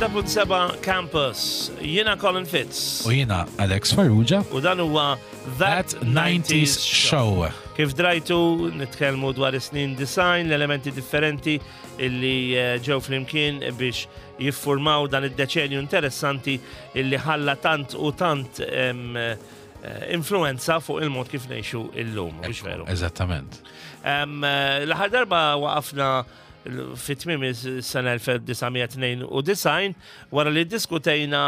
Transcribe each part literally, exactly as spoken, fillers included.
mija u tlieta punt seba' Campus. Jiena Colin Fitz. U jiena Alex Farrugia. U dan huwa That nineties Show. Kif drajtu, nitkellmu dwar is-snin disgħin, l-elementi differenti illi eh, ġew flimkien biex jiffurmaw dan id-deċenju interessanti illi ħalla tant u tant em, eh, influenza fuq il-mod kif ngħixu illum, mhux veru? Eżattament. Em, eh, L-aħħar darba waqafna fit tmiem is-sena elf disa' mija tnejn u disgħin wara li diskutejna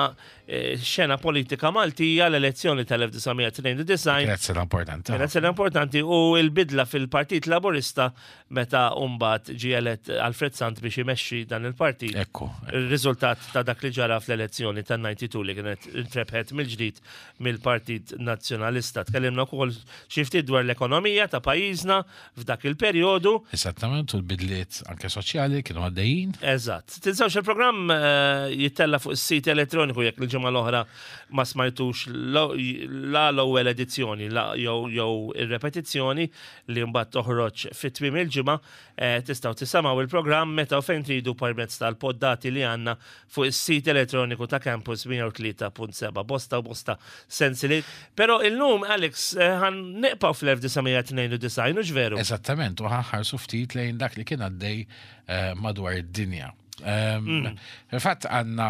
eh, xena politika Maltija, l-elezzjoni tal-elf disa' mija tnejn u disgħin. Kienet sena importanti. Kienet sena importanti u il-bidla fil-Partit Laburista meta mbagħad ġie elett Alfred Sant biex imexxi dan il-partit. Ekku. Il-riżultat ta' dak li ġara fl-elezzjoni tan-tnejn u disgħin li kienet intrebħet mill-ġdid mill-Partit Nazzjonalista. Tkellimna wkoll xi ftit dwar l-ekonomija ta' pajjiżna f'dak il-perjodu. Eżattament, u l-bidliet anke soċjali kienu għaddejjin. Eżatt. Tinsewx, il-programm eh, jittella fuq is-sit elettroniku jekk il-ġimgħa l-oħra ma smajtux lo- la l-ewwel edizzjoni la jew jew ir-repetizzjoni li mbagħad toħroġ fit tmiem il-ġimgħa, eh, tistgħu tisimgħu il-programm meta u fejn tridu permezz tal-poddati li għandna fuq is-sit elettroniku ta' Campus mija u tlieta punt seba. Bosta u bosta sensili. Però illum, Alex, eh, ħa nibqgħu fl-elf disa' mija tnejn u disgħin, hux veru? Eżattament, u ħa nħarsu ftit lejn dak li kien għaddej eh, madwar id-dinja. Um, Fil-fatt għandna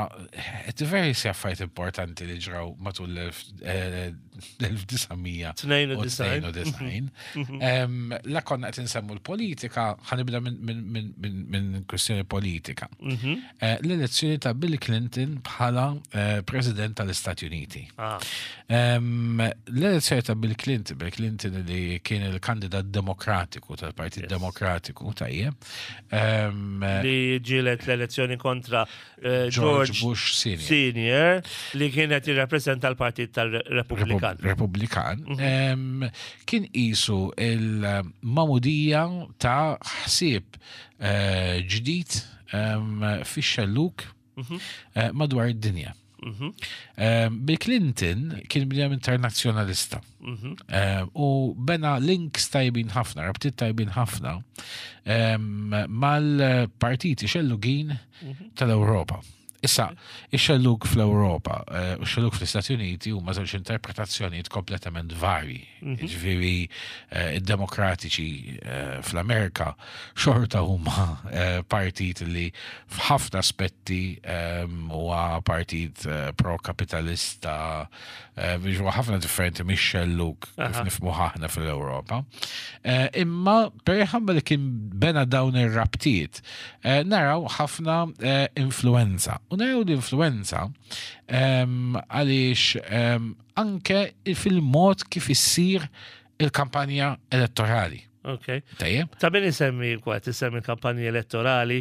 diversi affarijiet importanti li ġraw matul l-elf disa' mija tnejn u disgħin. Em, La konna qed insemmu l-politika, ħa nibda minn min, min, min, min kwestjoni politika. Eh, L-elezzjoni ta' Bill Clinton bħala eh, President tal-Istati Uniti. Ah. Em, L-elezzjoni ta' Bill Clinton, Bill Clinton li kien il-kandidat demokratiku tal-Partit Yes. Demokratiku, tajjeb. Em, Li ġielet l-elezzjoni kontra eh, George George Bush Senior Senior li kienet jirrappreżenta l-Partit tal-Repubblikan. Republikan, em, kien qisu il-magħmudija ta' ħsieb eh, ġdid em, fix-xelluk eh, madwar id-dinja. Em, Bill Clinton kien bniedem internazzjonalista Em, u bena links tajbin ħafna, rabtiet tajbin ħafna em, mal-partiti xellugin tal-Ewropa. Issa, ix-xellug fl-Ewropa eh, u x-xellug fl-Istati Uniti huma żewġ interpretazzjonijiet kompletament varji. Ġifieri eh, id-demokratiċi eh, fl-Amerika xorta huma eh, partit li f'ħafna aspetti ehm, huwa partit eh, pro-kapitalista, eh, biex huwa ħafna differenti mix-xellug kif nifhmu aħna fl-Ewropa. Eh, Imma perħabba li kien bena dawn ir-rabtiet, eh, naraw ħafna eh, influenza. U naraw l-influenza em, għaliex em, anke fil-mod kif issir il-kampanja elettorali. Ok. Tajjeb? Ta' min isemmi kwa, tisemmi kampanji elettorali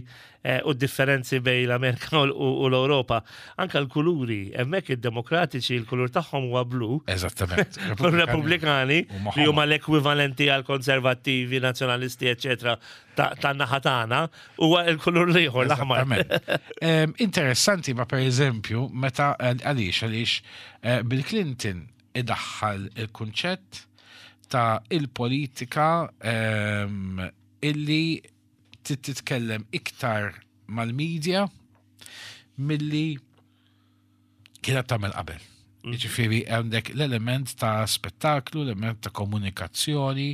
eh, u differenzi bejn l-Amerika u u l-Europa. Anka l-kuluri, hemmhekk id-demokratiċi l-kulur tagħhom huwa blu. Eżattament. U Repubblikani Huma li huma ħomor. l-ekwivalenti għal konservattivi, nazzjonalisti, eccetera, ta' tan-naħa tagħna, huwa l-kulur l-ieħor, l-aħmar. Eżattament. Em, Interessanti, ma per eżempju, meta eh, għaliex, għaliex eh, Bill Clinton idaħħal il-kunċett ta' il-politika em, illi tit- titkellem iktar mal-medja milli kienet tagħmel qabel. Jiġifieri għandek l-element ta' spettaklu, l-element ta' komunikazzjoni,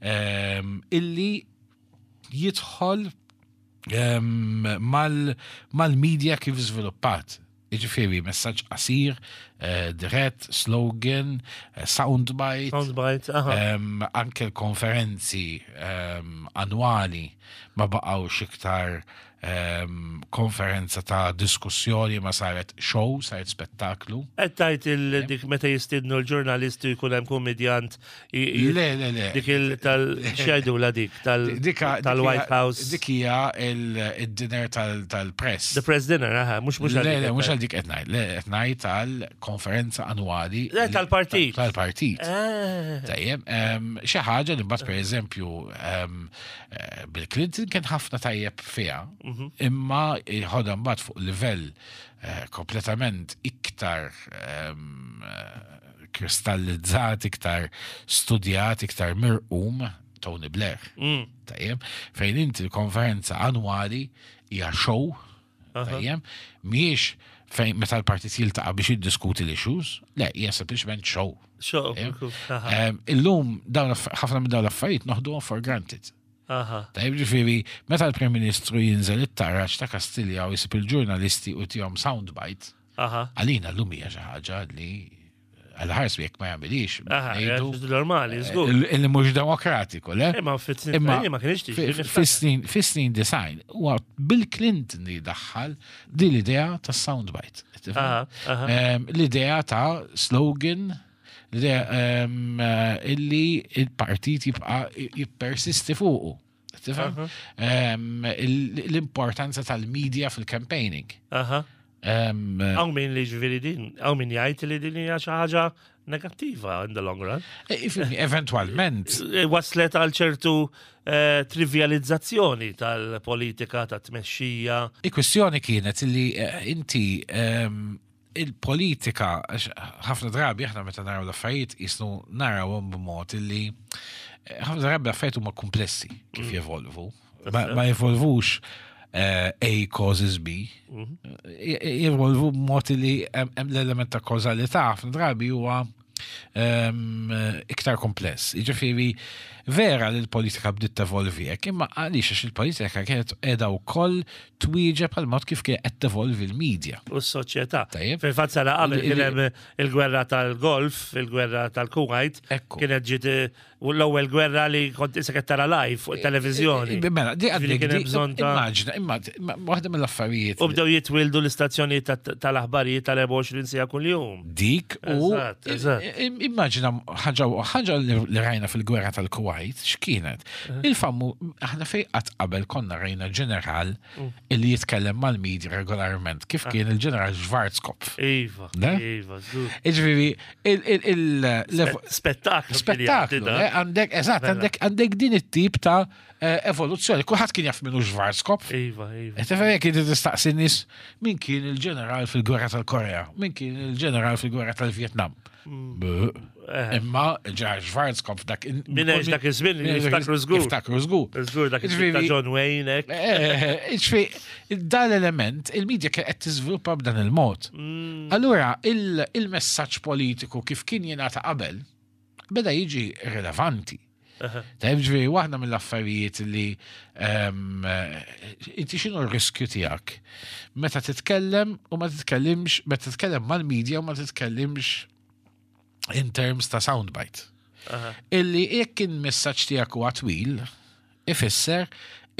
em, illi jidħol em, mal- mal-media kif żviluppat. Jiġifieri messaġġ qasir, eh, dirett, slogan, eh, soundbite, Soundbite, aha. Em, anke l-konferenzi em, annwali ma baqgħux iktar em, konferenza ta' diskussjoni, ma saret show, saret spettaklu. Qed tgħid il- dik meta jistidnu l-ġurnalisti jkun hemm komedjant i- i- Le, le, le. Dik il tal x'jgħidula dik tal Dika- tal-White dik hija- House. Dik hija il- il-dinner tal- tal-press. The press dinner, aha, mhux mhux Le, għal dik le, qed mhux ngħid. għal dik qed ngħid, le, qed ngħid tal-konferenza annwali. Le, tal-partit. Tal-partit. Ah, Tajjeb, em, xi ħaġa li mbagħad, pereżempju, em, eh, Bill Clinton kien ħafna tajjeb fiha, imma ħodha mbagħad fuq livell eh, kompletament iktar em, eh, kristallizzat, iktar studjat, iktar mirqum Tony Blair. mm, Tajjeb, fejn inti l-konferenza annwali hija show. Tajjem, mhijiex fejn meta l-partit jiltaqa' biex jiddiskuti l-issues, le, hija sempliċement show. Show. Tajjeb. Aha. Em, Illum dawn aff- ħafna minn dawn l-affarijiet noħduhom for granted. Aha. Tajjeb, ġifieri, meta l-Prim Ministru jinżel it-taraġ ta' Kastilja u jisib il-ġurnalisti u tihom soundbite, Aha. għalina llum hija xi ħaġa li għal-ħars jekk ma jagħmilix. Aha. ngħidu, Normali, żgur. il- Illi mhux demokratiku, le? Imma fit-snin Imma ma kienx tiġi. fi- niftakar. Fis-snin fis-snin design huwa Bill Clinton li daħħal din l-idea ta' soundbite. Tifhem? Aha, aha. Em, L-idea ta' slogan, l-idea em, eh, illi il-partit jibqa' jippersisti fuqu. Tifhem? Em, il- L-importanza tal-media fil-campaigning. Aha. Em, Hawn min li ġifieri din, hawn min jgħid li din hija xi ħaġa negattiva in the long run. eh, ifhimni, Eventualment, E, Waslet għal ċertu eh, trivializzazzjoni tal-politika, ta' tmexxija. Il-kwestjoni kienet li eh, inti ehm, il-politika, għax ħafna drabi aħna meta naraw l-affarijiet jisnu narawhom b'mod illi eh, ħafna drabi l-affarijiet huma komplessi kif jevolvu. Ma, ma jevolvux eh, A causes B. Je- Jevolvu b'mod li hemm hemm l-element ta' kawżalità ħafna drabi huwa ehm, iktar kompless. Jiġifieri vera li l-politika bdiet tevolvi hekk, imma għaliex għax il-politika kienet qiegħda wkoll twieġeb għal mod kif kien qed tevolvi l-medja. U s-soċjetà. Tajjeb. Fil-fatt sena qabel Il- il- kien hemm il-gwerra tal-Golf, il-gwerra tal-Kuwait, Ekku. kienet ġiet eh, u l-ewwel gwerra li kont issa qed tara live fuq it-televiżjoni. Mela, di Ġifieri għandek kien hemm di- bżonn ta' Immaġina, imma waħda mill-affarijiet U bdew jitwildu l-istazzjonijiet tat- tal-aħbarijiet tal-erbgħa u għoxrin siegħa kuljum. Dik u Eżatt, eżatt. im- immaġina ħaġa ħaġa li li rajna fil-gwerra tal-Kuwait, x'kienet? Il-fammu aħna fej qatt qabel konna rajna ġeneral Mm. illi jitkellem mal-media regolarment, kif Ah. kien il-ġeneral Schwarzkopf. Iva, Ne? iva, żgur. Iġifieri, il- il- il- l- Spettaklu. kien jagħti spettaklu, da. eh, għandek, eżatt, Mela. għandek għandek din it-tip ta' eh, evoluzzjoni. Kulħadd kien jaf minnu Schwarzkopf. Iva, iva. Tifhem jekk inti tistaqsi nies min kien il-ġeneral fil-gwerra tal-Korea, min kien il-ġeneral fil-gwerra tal-Vjetnam. Buh. Eh. Imma il-ġeneral Schwarzkopf dak. Min għex dak iż-żmien min għex jiftakru żgur. Jiftakru żgur. Żgur dak it-tip ta' Ġifieri- John Wayne, hekk. Eh, Ġifieri, dan l-element, il-medja kien qed tiżviluppa b'dan il-mod. Mm. Allura, il- il-messaġġ politiku kif kien jingħata qabel, beda jiġi rilevanti. Tajb, ġifieri, waħda mill-affarijiet li ehm, eh, inti x'inhu r-riskju tiegħek meta titkellem u ma titkellimx, meta titkellem mal-media u ma titkellimx in terms ta' soundbite. Aha. Illi jekk il-messaġġ tiegħek huwa twil, ifisser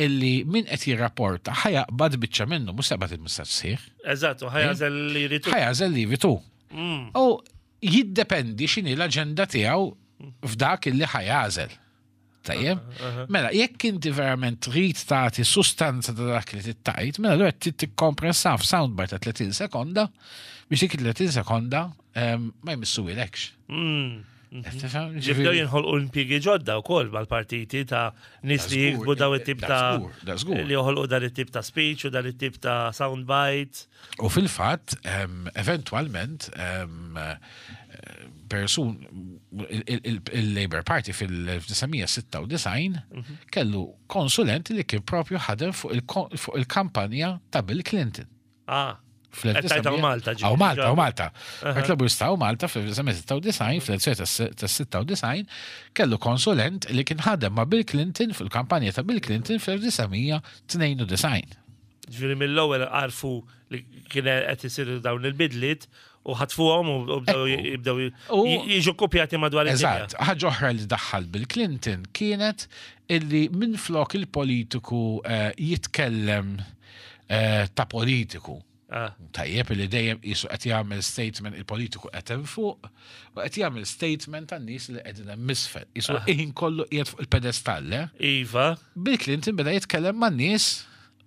illi min qed jirrapporta ħa jaqbad biċċa minnu, mhux se jaqbad il-messaġġ sħiħ, Eżatt, u ħa jagħżel li jrid. ħa jagħżel li jrid hu. Mm. U jiddependi x'inhi l-aġenda tiegħu f'dak illi ħa jagħżel. Tajjeb? Mela, jekk inti verament trid tagħti sustanza ta' dak li tittajt, mela allura trid tikkompressa f'soundbite ta' tletin sekonda biex dik tletin sekonda em, ma jmissuhilekx. Mm. Tifhem? Ġibdew Ġifieri- jinħolqu impjiegi ġodda wkoll mal-partiti ta' nies li Da żgur, jiktbu daw it-tip da ta' żgur, da żgur. li joħolqu dan it-tip ta' speech u dan it-tip ta' soundbite. U fil-fatt, em, eventualment, em, eh, persun, il- il- il-Labour Party fil-elf disa' mija sitta u disgħin kellu konsulent li kien propju ħadem fuq il- fuq il-kampanja ta' Bill Clinton. Ah, Fl-elf Qed tgħid hawn Malta, ġifieri. Hawn Malta, hawn Malta. Partit Laburista hawn Malta fl-elf disa' mija sitta u disgħin, fl-elezzjoni tas-sitta u disgħin, kellu konsulent li kien ħadem ma' Bill Clinton fil-kampanja ta' Bill Clinton fl-elf disa' mija tnejn u disgħin. Ġifieri mill-ewwel għarfu li kien qed isiru dawn il-bidliet u ħatfuhom u bdew Ekku. jibdew U- jiġu kopjati madwar id-dinja. Eżatt, ħaġa oħra li daħħal Bill Clinton kienet illi minn flok il-politiku eh, jitkellem eh, ta' politiku. Ah, Tajjeb li dejjem jisu qed jagħmel statement, il-politiku qed hemm fuq u qed jagħmel statement tan-nies li qegħdin hemm misfel. Jisu ħin kollu qiegħed fuq il-pedestall. eh? Iva, Bill Clinton beda jitkellem man-nies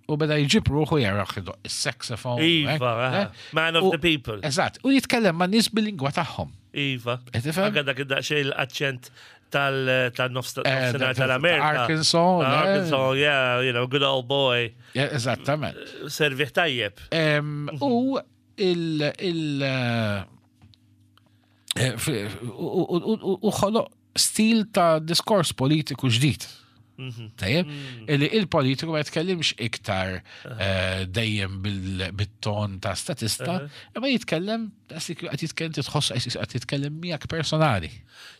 u beda jġib ruħu jaraħ idoq is-saxophone. Iva, eh, aha. eh? Man of U- the people. Eżatt, u jitkellem man-nies bil-lingwa tagħhom. Iva. Qed tifhem? Anka dak id-daqsxejn l-aċċent tal- tal-nofs Eh, nofsinhar ta- tal-Amerika. Arkansas, le? Arkansas, yeah, you know, good old boy. Ja, eżattament. Serviħ tajjeb. Em, U il- il eh, eh, f- u- u- u- u ħoloq stil ta' diskors politiku ġdid. Tajjeb, illi il-politiku ma jitkellimx iktar eh, dejjem bil- bit-ton ta' statista, imma jitkellem, qed jitkellem, titħoss qed jitkellem miegħek personali.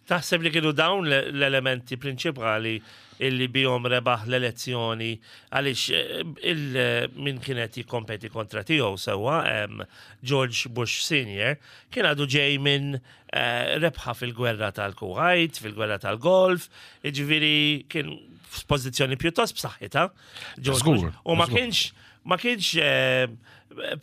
Taħseb li kienu dawn l- l-elementi prinċipali illi bihom rebaħ l-elezzjoni, għaliex eh, il min kienet jikkompeti kontra tiegħu sewwa em, George Bush Senior kien għadu ġej minn eh, rebħa fil-gwerra tal-Kuwait, fil-gwerra tal-Golf, jiġifieri kien f'pożizzjoni pjuttost b'saħħitha. George Żgur, Bush. U ma żgur. kienx ma kienx eh,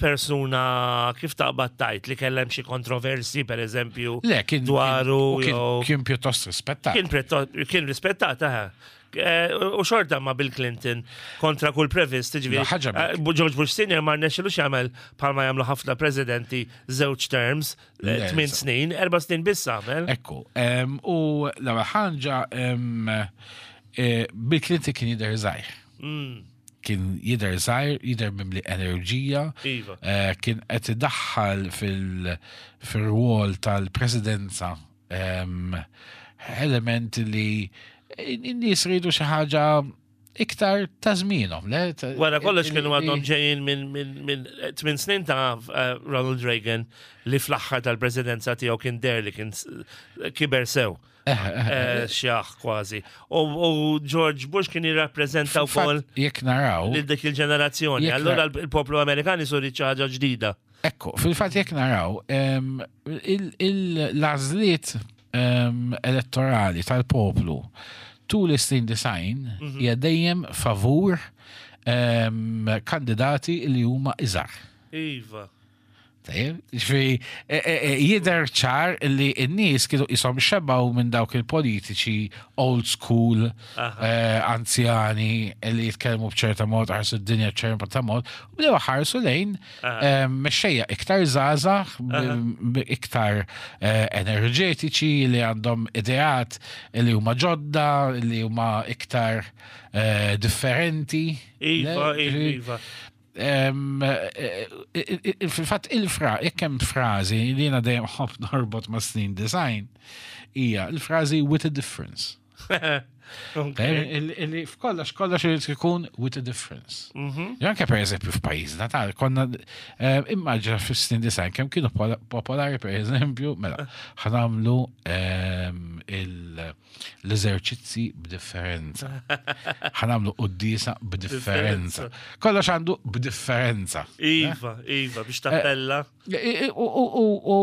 persuna, kif taqbad tgħid, li kellem xi kontroversi, per eżempju, Le, kien dwaru kien, jew kien pjuttost rispettat. Kien pretto- kien rispettat, aha. Eh, U xorta ma' Bill Clinton kontra kull previst, ġifieri. La, ħaġa eh, George Bush Senior ma rnexxilux jagħmel bħalma jagħmlu ħafna presidenti, żewġ terms, eh, Le, tmien eżatt. snin, erba' snin biss għamel. Ekku, em, u l-ewwel ħaġa, em, eh, Bill Clinton kien jidher żgħir. Mm, Kien jidher żgħir, jidher mimli enerġija. Iva. Eh, kien qed idaħħal fil- fil-rwol tal-presidenza em, element li n-nies ridu xi ħaġa iktar ta' żmienhom, le? Ta- Wara kollox kienu li- għadhom ġejjin minn min, min tmien snin ta' eh, Ronald Reagan, li fl-aħħar tal-presidenza tiegħu kien der li kien s- kiber sew. Eh, Xjaħ kważi. U u George Bush kien jirrappreżenta wkoll Fatt, jekk naraw, lil dik il-ġenerazzjoni. Jekk Allura na- il-poplu Amerikan isuri xi ħaġa ġdida. Ekku, fil-fatt jekk naraw, em, il- il- l-għażliet em, elettorali tal-poplu tul is-snin disgħin hija dejjem favur em, kandidati li huma iżgħar. Iva. Tajjeb, ġifieri, e- e- e, jidher ċar li n-nies kienu jisom xebaw minn dawk il-politiċi old school, Aha. eh, anzjani li jitkellmu b'ċerta mod, ħarsu d-dinja b'ċerta mod, u bdew ħarsu lejn eh, mexxejja iktar żgħażagħ, b- b- iktar eh, enerġetiċi, li għandhom ideat li huma ġodda, li huma iktar eh, differenti. Iva, Le, iva, ġifieri, iva. Em, eh, eh, eh, Fil-fatt il-fra, jekk hemm frażi li jiena dejjem ħobb norbot ma' snin disgħin, hija il-frażi "with a difference". Okay. Il- Illi f'kollox kollox irid ikun with a difference. Mhm. Jo anke per eżempju f'pajjiżna tal konna eh, immaġina fis-snin disgħin kemm kienu pola- popolari, per eżempju, mela ħa nagħmlu em, il- l-eżerċizzi b'differenza. Ħa nagħmlu quddiesa b'differenza. Kollox għandu b'differenza. Iva, iva, biex tappella. U u- u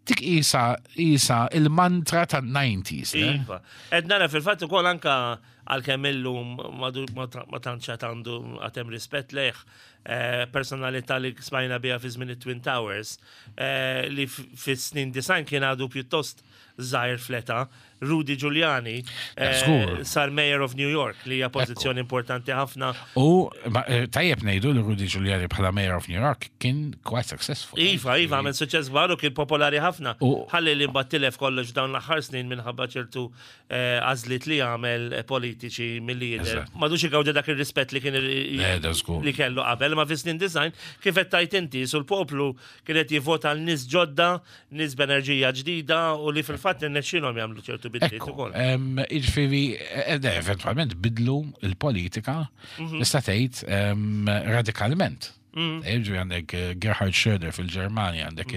dik isa isa il-mantra tan-nineties, le? Iva. Ed nara fil-fatt ukoll anka għalkemm illum madu- ma ta- ma tantx għad għandu għatem rispett lejh, eh, personalità li smajna biha fi żmien it-Twin Towers, eh, li f- fis-snin disgħin kien għadu pjuttost żgħir fl-età, Rudy Giuliani, eh, Żgur. sar Mayor of New York, li hija pożizzjoni importanti ħafna. U ma, eh, tajjeb ngħidu li Rudy Giuliani bħala Mayor of New York kien quite successful. Iva, iva, għamel suċċess kbar u kien popolari ħafna. U- Ħalli li mbagħad tilef kollox dawn l-aħħar snin minħabba ċertu eh, għażliet li għamel eh, politiċi milli jidher. Eżatt. M'għadux igawdi dak ir-rispett li kien Le, da żgur. li kellu qabel, ma fis-snin disgħin, kif qed tgħid inti, sul poplu kienet jivvota għal nies ġodda, nies b'enerġija ġdida u li fil-fatt irnexxielhom jagħmlu ċertu bidliet Ekku, ukoll. em, jiġifieri, eh, eh, eventualment bidlu il-politika, Mhm. tista' tgħid em, radikalment. Jiġifieri għandek eh, Gerhard Schröder fil-Ġermanja, għandek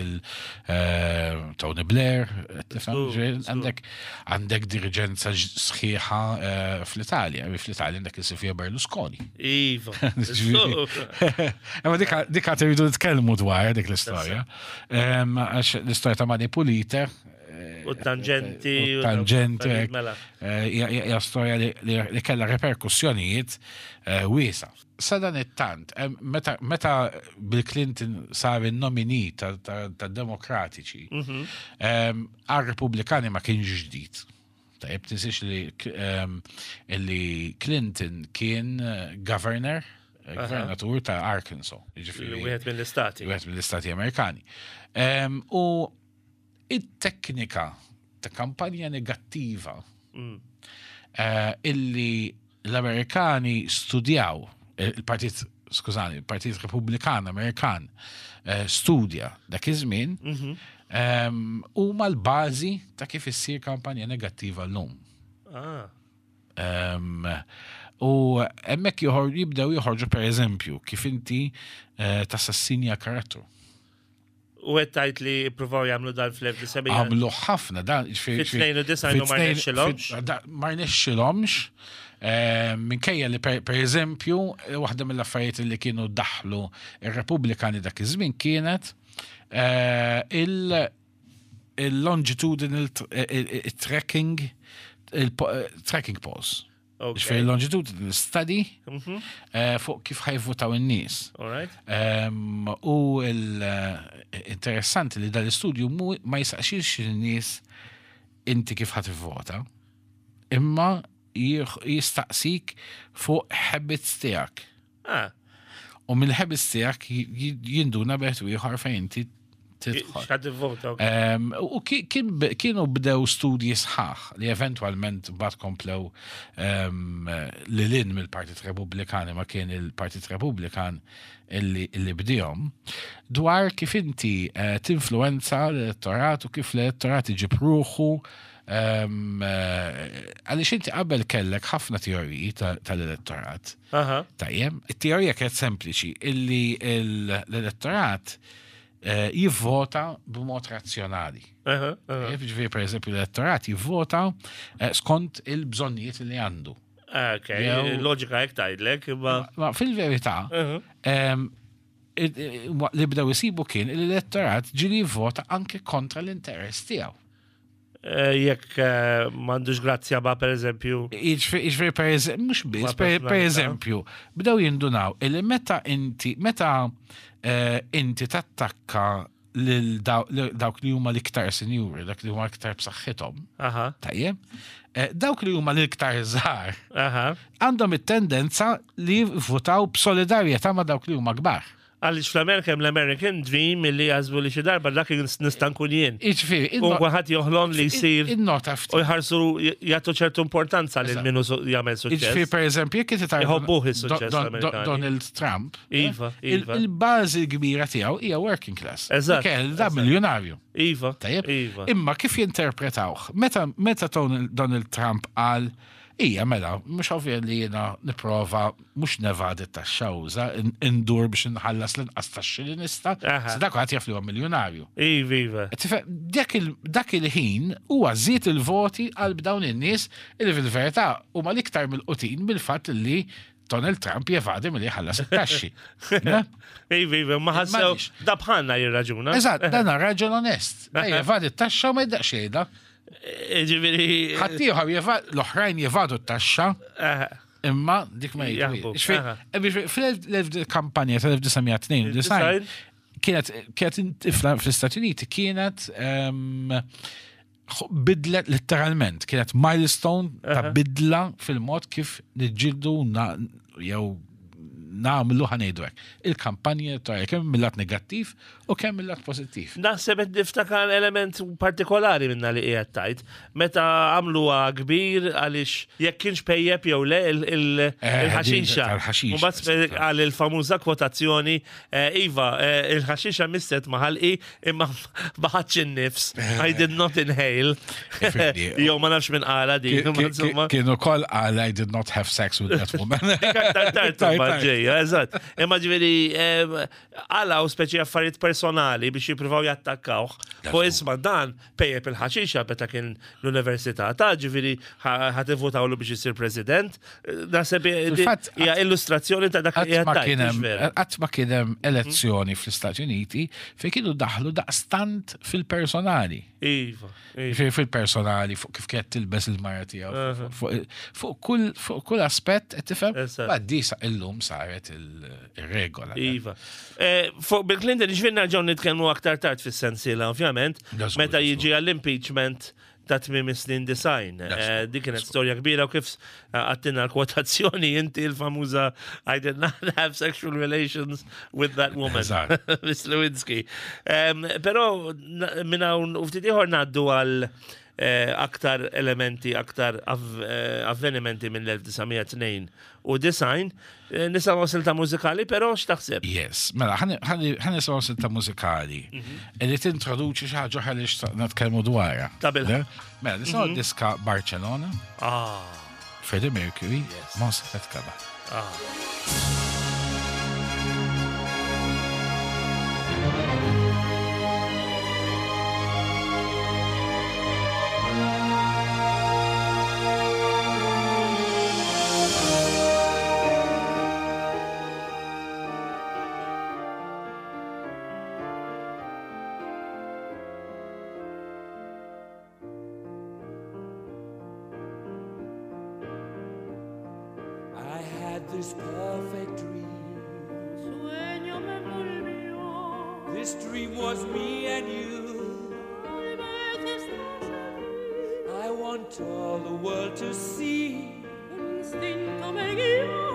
il-Tony Blair, tifhem? Żgur, Ġifieri, żgur. għandek għandek diriġenza ġ- sħiħa eh, fl-Italja, fl-Italja għandek il-Silvio Berlusconi. Iva. Ġifieri- Imma dik dik għad irridu nitkellmu dwar dik l-istorja. Em, Għax l-istorja ta' Mani Pulite eh, U tangenti. u tangenti, u mela. eh, hija hija storja li- li li kellha reperkussjonijiet eh, wiesa. Sa dan it-tant, em, meta meta Bill Clinton sar il-nominee ta' demokratiċi, Mhm. għal-Repubblikani ma kienx ġdid. Tajjeb, tinsiex li em, li Clinton kien eh, governor, eh, gvernatur ta' Arkansas. Jiġifieri- Wieħed mill-istati. wieħed mill-Istati Amerikani. Em, U it-teknika ta' kampanja negattiva Mm. eh, illi l-Amerikani studjaw, eh, il-Partit, skużani, il-Partit Repubblikan Amerikan eh, studja dak iż-żmien, Mhm. em, huma l-bażi ta' kif issir kampanja negattiva llum. Ah. Um, u hemmhekk joħor jibdew joħorġu, per eżempju, kif inti eh, tassassinja karattru. U qed tgħid li ippruvaw jagħmlu dan fl-elf disa' mija Għamlu ħafna dan. Ġifieri- Fit-tnejn u disgħin u ma rnexxilhomx? fit- da- Ma rnexxilhomx. eh, Minkejja li, per per eżempju, eh, waħda mill-affarijiet li kienu daħlu ir-Repubblikani dak iż-żmien kienet eh, il- il-longitudinal tr- eh, eh, tracking il-tracking polls. Ok. Ġifieri longitudinal study Mhm. eh, fuq kif ħa jivvutaw in-nies. All right. Um, u l-interessanti li dal-istudju mu- ma jisaqsix in-nies inti kif ħa tivvota, imma jieħ- jistaqsik fuq habits tiegħek. Ah, U mill-habits tiegħek j- j- jinduna bejn ieħor fejn inti tidħol. X'ħa tivvota. Ok. Um, u ki- kien kienu bdew studji sħaħ li eventualment bat komplew um, li lin mill-Partit Repubblikani, ma kien il-Partit Repubblikan illi, illi bdihom, dwar kif inti uh, tinfluenza l-elettorat u kif l-elettorat iġib ruħu um, eh, għaliex inti qabel kellek ħafna teoriji ta- tal-elettorat. Aha. Tajjeb, it-teorija kienet sempliċi illi l-elettorat eh, jivvota b'mod razzjonali. Aha. aha. Tajjeb, ġifieri, per eżempju, l-elettorat jivvota eh, skont il-bżonnijiet li għandu. Ok, Jew- loġika hekk tgħidlek, imma. Ma fil-verità, Aha. em, il- il- li bdew isibu kien l-elettorat ġieli jivvota anke kontra l-interess tiegħu. Eh, Jekk eh, m'għandux grazzja ba per eżempju. Jiġifieri, per eżempju, mhux biss, Ma per, per personalità. eżempju, bdew jindunaw illi meta inti, meta eh, inti tattakka lil daw- lil dawk li huma l-iktar sinjuri, dak li huma l-iktar b'saħħithom, Aha. tajjeb, eh, dawk li huma l-iktar żgħar Aha. għandhom it-tendenza li jivvutaw b'solidarjetà ma' dawk li huma kbar. Għaliex fl-Amerika hemm l-American Dream illi jaħsbu li xi darba dak nista' nkun jien. Jiġifieri, U kulħadd joħlom li jsir innota ftit. u jħarsu jagħtu ċertu importanza lil Eżatt. minnu su- jagħmel Jiġifieri, suċċess. per eżempju, jekk inti tara Iħobbuh is-suċċess Don- Don- l-Amerikani. Donald Trump, Iva, il- iva. il-bażi kbira tiegħu hija working class. Eżatt, Kell da eżatt. miljonarju. Iva. Tajjeb? Iva. Imma kif jinterpretawh? Meta meta Donald Donald Trump qal ija mela, mhux ovvja li jiena nipprova mhux nevadi taxxa uża, indur biex nħallas l-inqas taxxi li nista', Aha. se dak għad jaf li huwa miljonarju. Iva, iva. Tifhem, dak il- dak il-ħin huwa żied il-voti għal dawn in-nies li fil-verità huma l-iktar mill-qutin bil-fatt li Donald Trump jevadi milli jħallas it-taxxi. Ne? Iva, iva, ma ħassew M'għandix. da bħalna jirraġuna. Eżatt, dan raġel onest. Da jevadi t-taxxa u ma jdaqx jgħidha. Ġifieri. Ħaddieħor jeva- l-oħrajn jevadu t-taxxa eh, imma dik ma Jaħbu, jgħidu. aha. Fil-kampanja tal-elf disa' mija tnejn u disgħin kienet kienet fl-Istati Uniti kienet em, bidlet letteralment, kienet milestone ta' bidla fil-mod kif niġġieldu na- jew nagħmlu, ħa ngħidu hekk, il-kampanja elettorali, kemm mill-lat negattiv u kemm mill-lat pożittiv. Naħseb qed niftakar element partikolari minna li qiegħed tajt. Meta għamluha kbir għaliex jekk kienx pejjep jew le il- il- Eh, il-ħaxixa. tal-ħaxixa, Mbagħad għal il-famuża kwotazzjoni, eh, Iva, eh, il-ħaxixa misset ma' ħalqi imma ma ħadx in-nifs. I did not inhale. Ifirdi. Jew ma nafx minn qala din. imma insomma. Kienu kol għal "I did not have sex with that woman." Aktar tard Tard, imbagħad tard. ġejja, eżatt. Imma ġifieri em, għalaw speċi affarijiet personali biex jippruvaw jattakkawh. Fuq isma' dan pejjep il-ħaxixa meta kien l-università ta' ġifieri ħa tivvutawlu biex isir president. Naħseb Fil-fatt, hija illustrazzjoni ta' dak li Qatt ma qiegħed kien hemm- tgħid, mhux vera? qatt ma kien hemm elezzjoni fl-Istati Uniti fejn kienu daħlu daqstant fil-personali. Iva, iva. Ġifieri fil-personali, fuq kif kienet tilbes il-mara tiegħu, fuq- fuq kull fuq kull aspett qed tifhem. Eżatt. Ma di sa illum saret il- ir-regola. Iva. Eh, Fuq Bill Clinton, ġifieri nerġgħu nitkellmu aktar tard fis-sensiela, ovvjament, Da żgur, meta da jiġi għall-impeachment ta' tmiem is-snin disgħin. Eh, Dik kienet storja kbira u kif eh, għattina l-kwotazzjoni inti l-famuża "I did not have sexual relations with that woman." Eżatt. Miss Lewinsky. Em, Però na- minn hawn u ftit ieħor ngħaddu għal eh, aktar elementi, aktar av- eh, avvenimenti minn l-elf disa' mija tnejn u disgħin. Eh, Nisimgħu silta mużikali, però x'taħseb? Yes, mela, ħa nisimgħu silta mużikali li tintroduċi xi ħaġa oħra li xtaqna nitkellmu dwarha. Ta' bil- Le? Mela, nisimgħu diska Barcelona, Ah, Freddie Mercury, Montserrat Caballé. Ah. I had this perfect dream. Sueño me envolvió. This dream was me and you. Tal vez estás aquí. I want all the world to see. Un instinto me guiaba.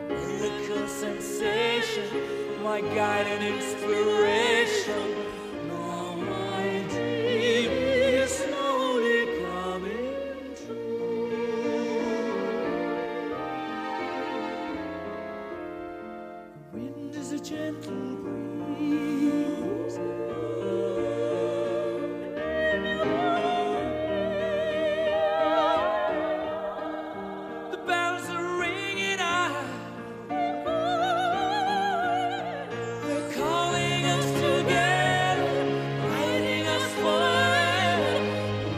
Miracle sensation, my guide and inspiration. Now my dream is slowly coming true. The wind is a gentle breeze. The bells are ringing out. They're calling us together, guiding us forever.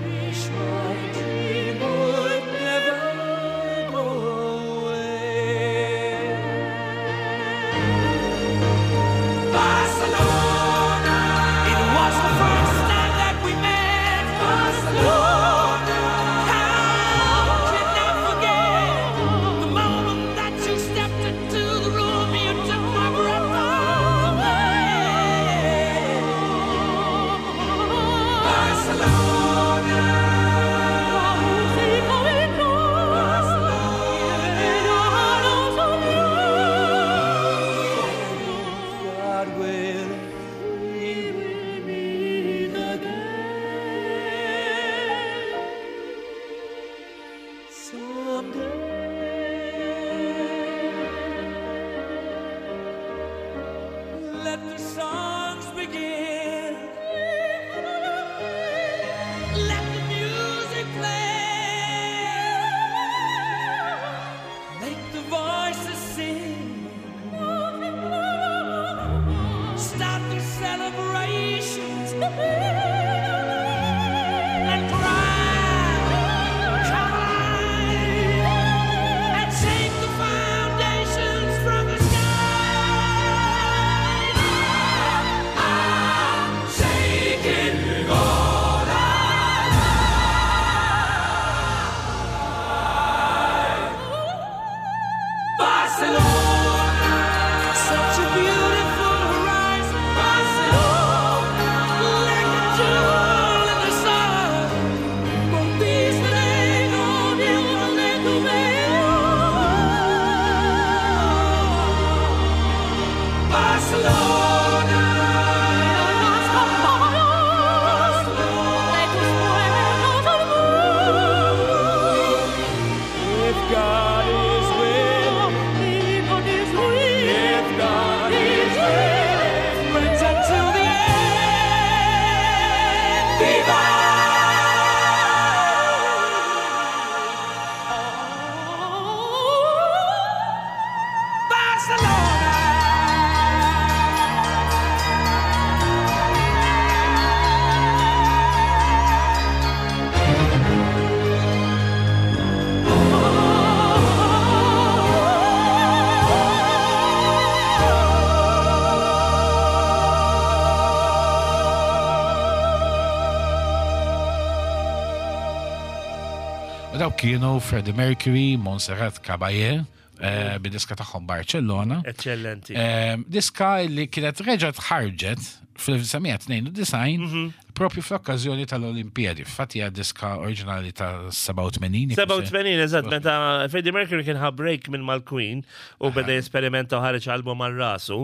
Wish my dream would never go away. Barcelona, it was the first time that we met. Barcelona, how can I forget the moment that you stepped into the room? You took my breath away. Barcelona, Música God willing, we will meet again someday. Let the songs begin. Let the music play. Make the voices sing. Start the celebrations and cry, cry, and shake the foundations from the sky. I'm shaking all alive. Barcelona, such a beautiful horizon. Barcelona, like a jewel in the sun. Conquistaré donde tu veo. Barcelona, Las campanas de tus puertas al mundo. If God is willing, if God is willing, friends until the end. Viva! Barcelona! U dawk kienu Freddie Mercury, Montserrat Caballé, eh, bid-diska tagħhom Barcellona. Eccellenti. Eh, Diska li kienet reġgħet ħarġet fl-elf disa' mija tnejn u disgħin propju fl-okkażjoni tal-Olimpijadi. Fatti hija diska oriġinali ta' sebgħa u tmenin. sebgħa u tmenin, eżatt, meta Freddie Mercury kien ħa break minn mal-Queen u beda jesperimenta u ħareġ album għal rasu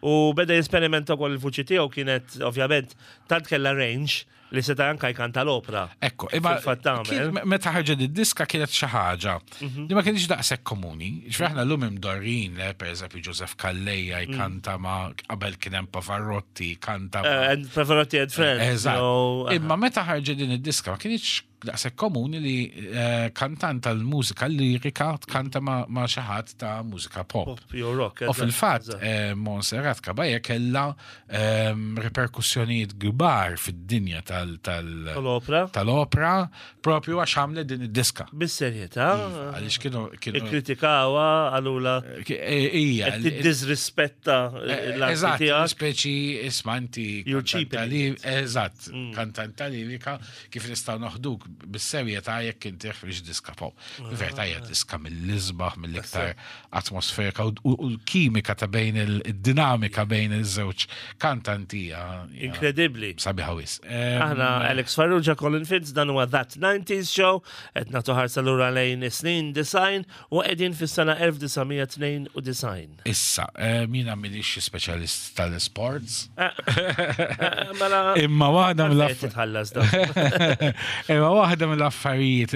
u beda jesperimenta wkoll il-vuċi tiegħu kienet ovvjament tant kella range li seta' anka jkanta l-opra. Ekku, imma Fil-fatt tagħmel. kien- me- meta ħarġet id-diska kienet xi ħaġa li ma kienx daqshekk komuni. Ġifieri aħna llum imdorrin, le, pereżempju Joseph Calleja jkanta ma qabel kien hemm Pavarotti kanta ma' Eh, And Pavarotti and Friends. Eżatt. so, Imma meta ħarġet din id-diska ma kienx daqshekk komuni li eh, kantant tal-mużika lirika tkanta ma' ma' xi ħadd ta' mużika pop. Pop jew rock. U eżatt, fil-fatt, eżatt. eh, Montserrat Caballé kella ehm, reperkussjonijiet kbar fid-dinja tal- tal- Tal-opra. tal-opra propju għax għamlet din id-diska. Bis-serjetà. Għaliex kienu kienu Ikkritikawa għalula ki- eh, Ija, qed tiddisrispetta Eh, l-arti Eżatt, tiegħek. speċi isma' inti You're kantanta cheapening li- it. Mm. Eżatt, kantanta lirika kif nistgħu noħduk bis-serjetà jekk inti ħriġ diska pop. Verità hija diska mill-isbaħ, mill-iktar atmosferika u u l-kimika ta' bejn il-dinamika bejn iż-żewġ kantanti hija hija Inkredibbli. sabiħa wisq. Em, Aħna Alex Farrugia, Colin Fitz, dan huwa That nineties Show, qed nagħtu ħarsa lura lejn is-snin disgħin u qegħdin fis-sena elf disa' mija tnejn u disgħin. Issa, eh, mina m'iniex speċjalist tal-sports, Eh, eh, Mela imma waħda qed mill-aff titħallas dan. Imma waħda mill-affarijiet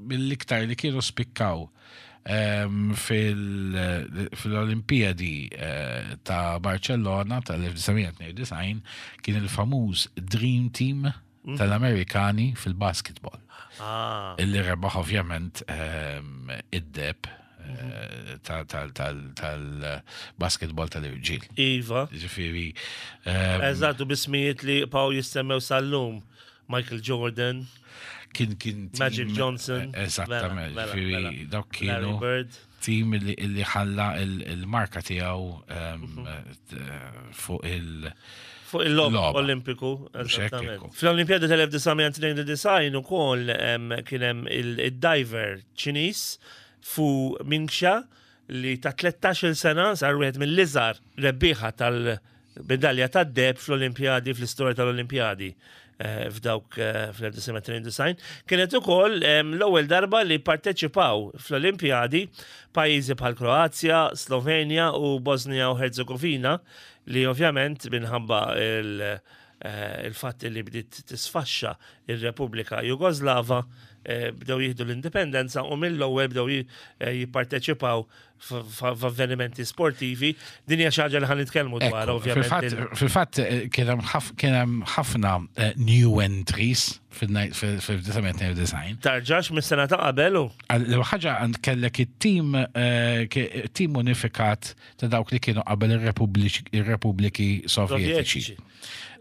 mill-iktar li kienu spikkaw em, fil- fil-Olimpijadi eh, ta' Barcellona tal-elf disa' mija tnejn u disgħin kien il-famuż Dream Team tal-Amerikani fil-basketball. Ah, Illi rebaħ ovvjament em, id-deheb eh, ta- tal- tal- tal-basketball tal-irġiel. Iva. Ġifieri, em, Eżatt, u b'ismijiet li baqgħu jissemmew sal-lum. Michael Jordan, kien kien team- Magic Johnson. Eh, Eżattament, Mela, mela, ġifieri mela. dawk Larry kienu Bird. team illi illi ħalla il- il-marka tiegħu em, Mhm. eh, fuq il- Fuq il-logħob Logħba. Olimpiku. Mhux hekk Eżattament. ekku. Fl-Olimpjadi tal-elf disa' mija tnejn u disgħin ukoll em, kien hemm il-diver Ċiniż Fu Mingxia li ta' tlettax-il sena sar wieħed mill-iżgħar rebbieħa tal-medalja tad-deheb fl-Olimpjadi, fl-istorja tal-Olimpjadi eh, f'dawk eh, fl-elf disa' mija tnejn u disgħin. Kienet ukoll em, l-ewwel darba li parteċipaw fl-Olimpjadi pajjiżi bħal Kroazja, Slovenja u Bosnia u Herzegovina li ovvjament minħabba il- eh, il-fatt li bdiet tisfaxxa il-Repubblika Jugoslava eh, bdew jieħdu l-indipendenza u mill-ewwel bdew ji- eh, jipparteċipaw f'avvenimenti sportivi. Din hija xi ħaġa li ħa nitkellmu dwar Ekku, ovvjament. Fil-fatt, il- fil-fatt, eh, kien hemm ħaf- kien hemm ħafna eh, new entries fil-elf disa' mija tnejn u disgħin. Tarġax mis-sena ta' qabel u L ħaġa għand kellek it-tim eh, ke- tim unifikat ta' dawk li kienu qabel ir-Repubbliċi- ir-Repubbliki Sovjetiċi. Sovjetiċi.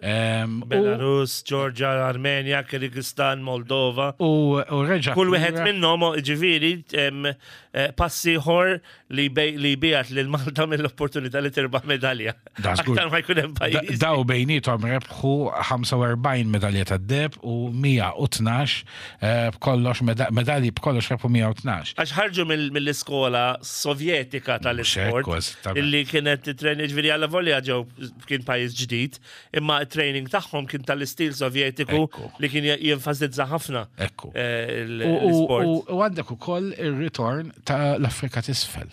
Em, u- Belarus, Georgia, Armenia, Kyrgyzstan, Moldova. U u reġa' Kull wieħed minnhom ġifieri em, eh, passi ieħor li bej- li biegħed lil Malta mill-opportunità li tirbaħ medalja. Da, żgur. Aktar ma jkun hemm Da- pajjiż. Daw bejnietom rebħu ħamsa u erbgħin medalja tad-deheb u mija u tnax eh, b'kollox meda- medalji b'kollox rebħu mija u tnax. Għax ħarġu mill- mill-iskola sovjetika tal-isport Mhux hekk, eżattament. illi kienet training ġifieri għalla volja ġew kien pajjiż ġdid, imma training tagħhom kien tal-istil sovjetiku Ekku. li kien jenfasizza ħafna Ekku. eh, il- U- u- l-isport. U u għandek ukoll ir-ritorn ta' l-Afrika t'isfel.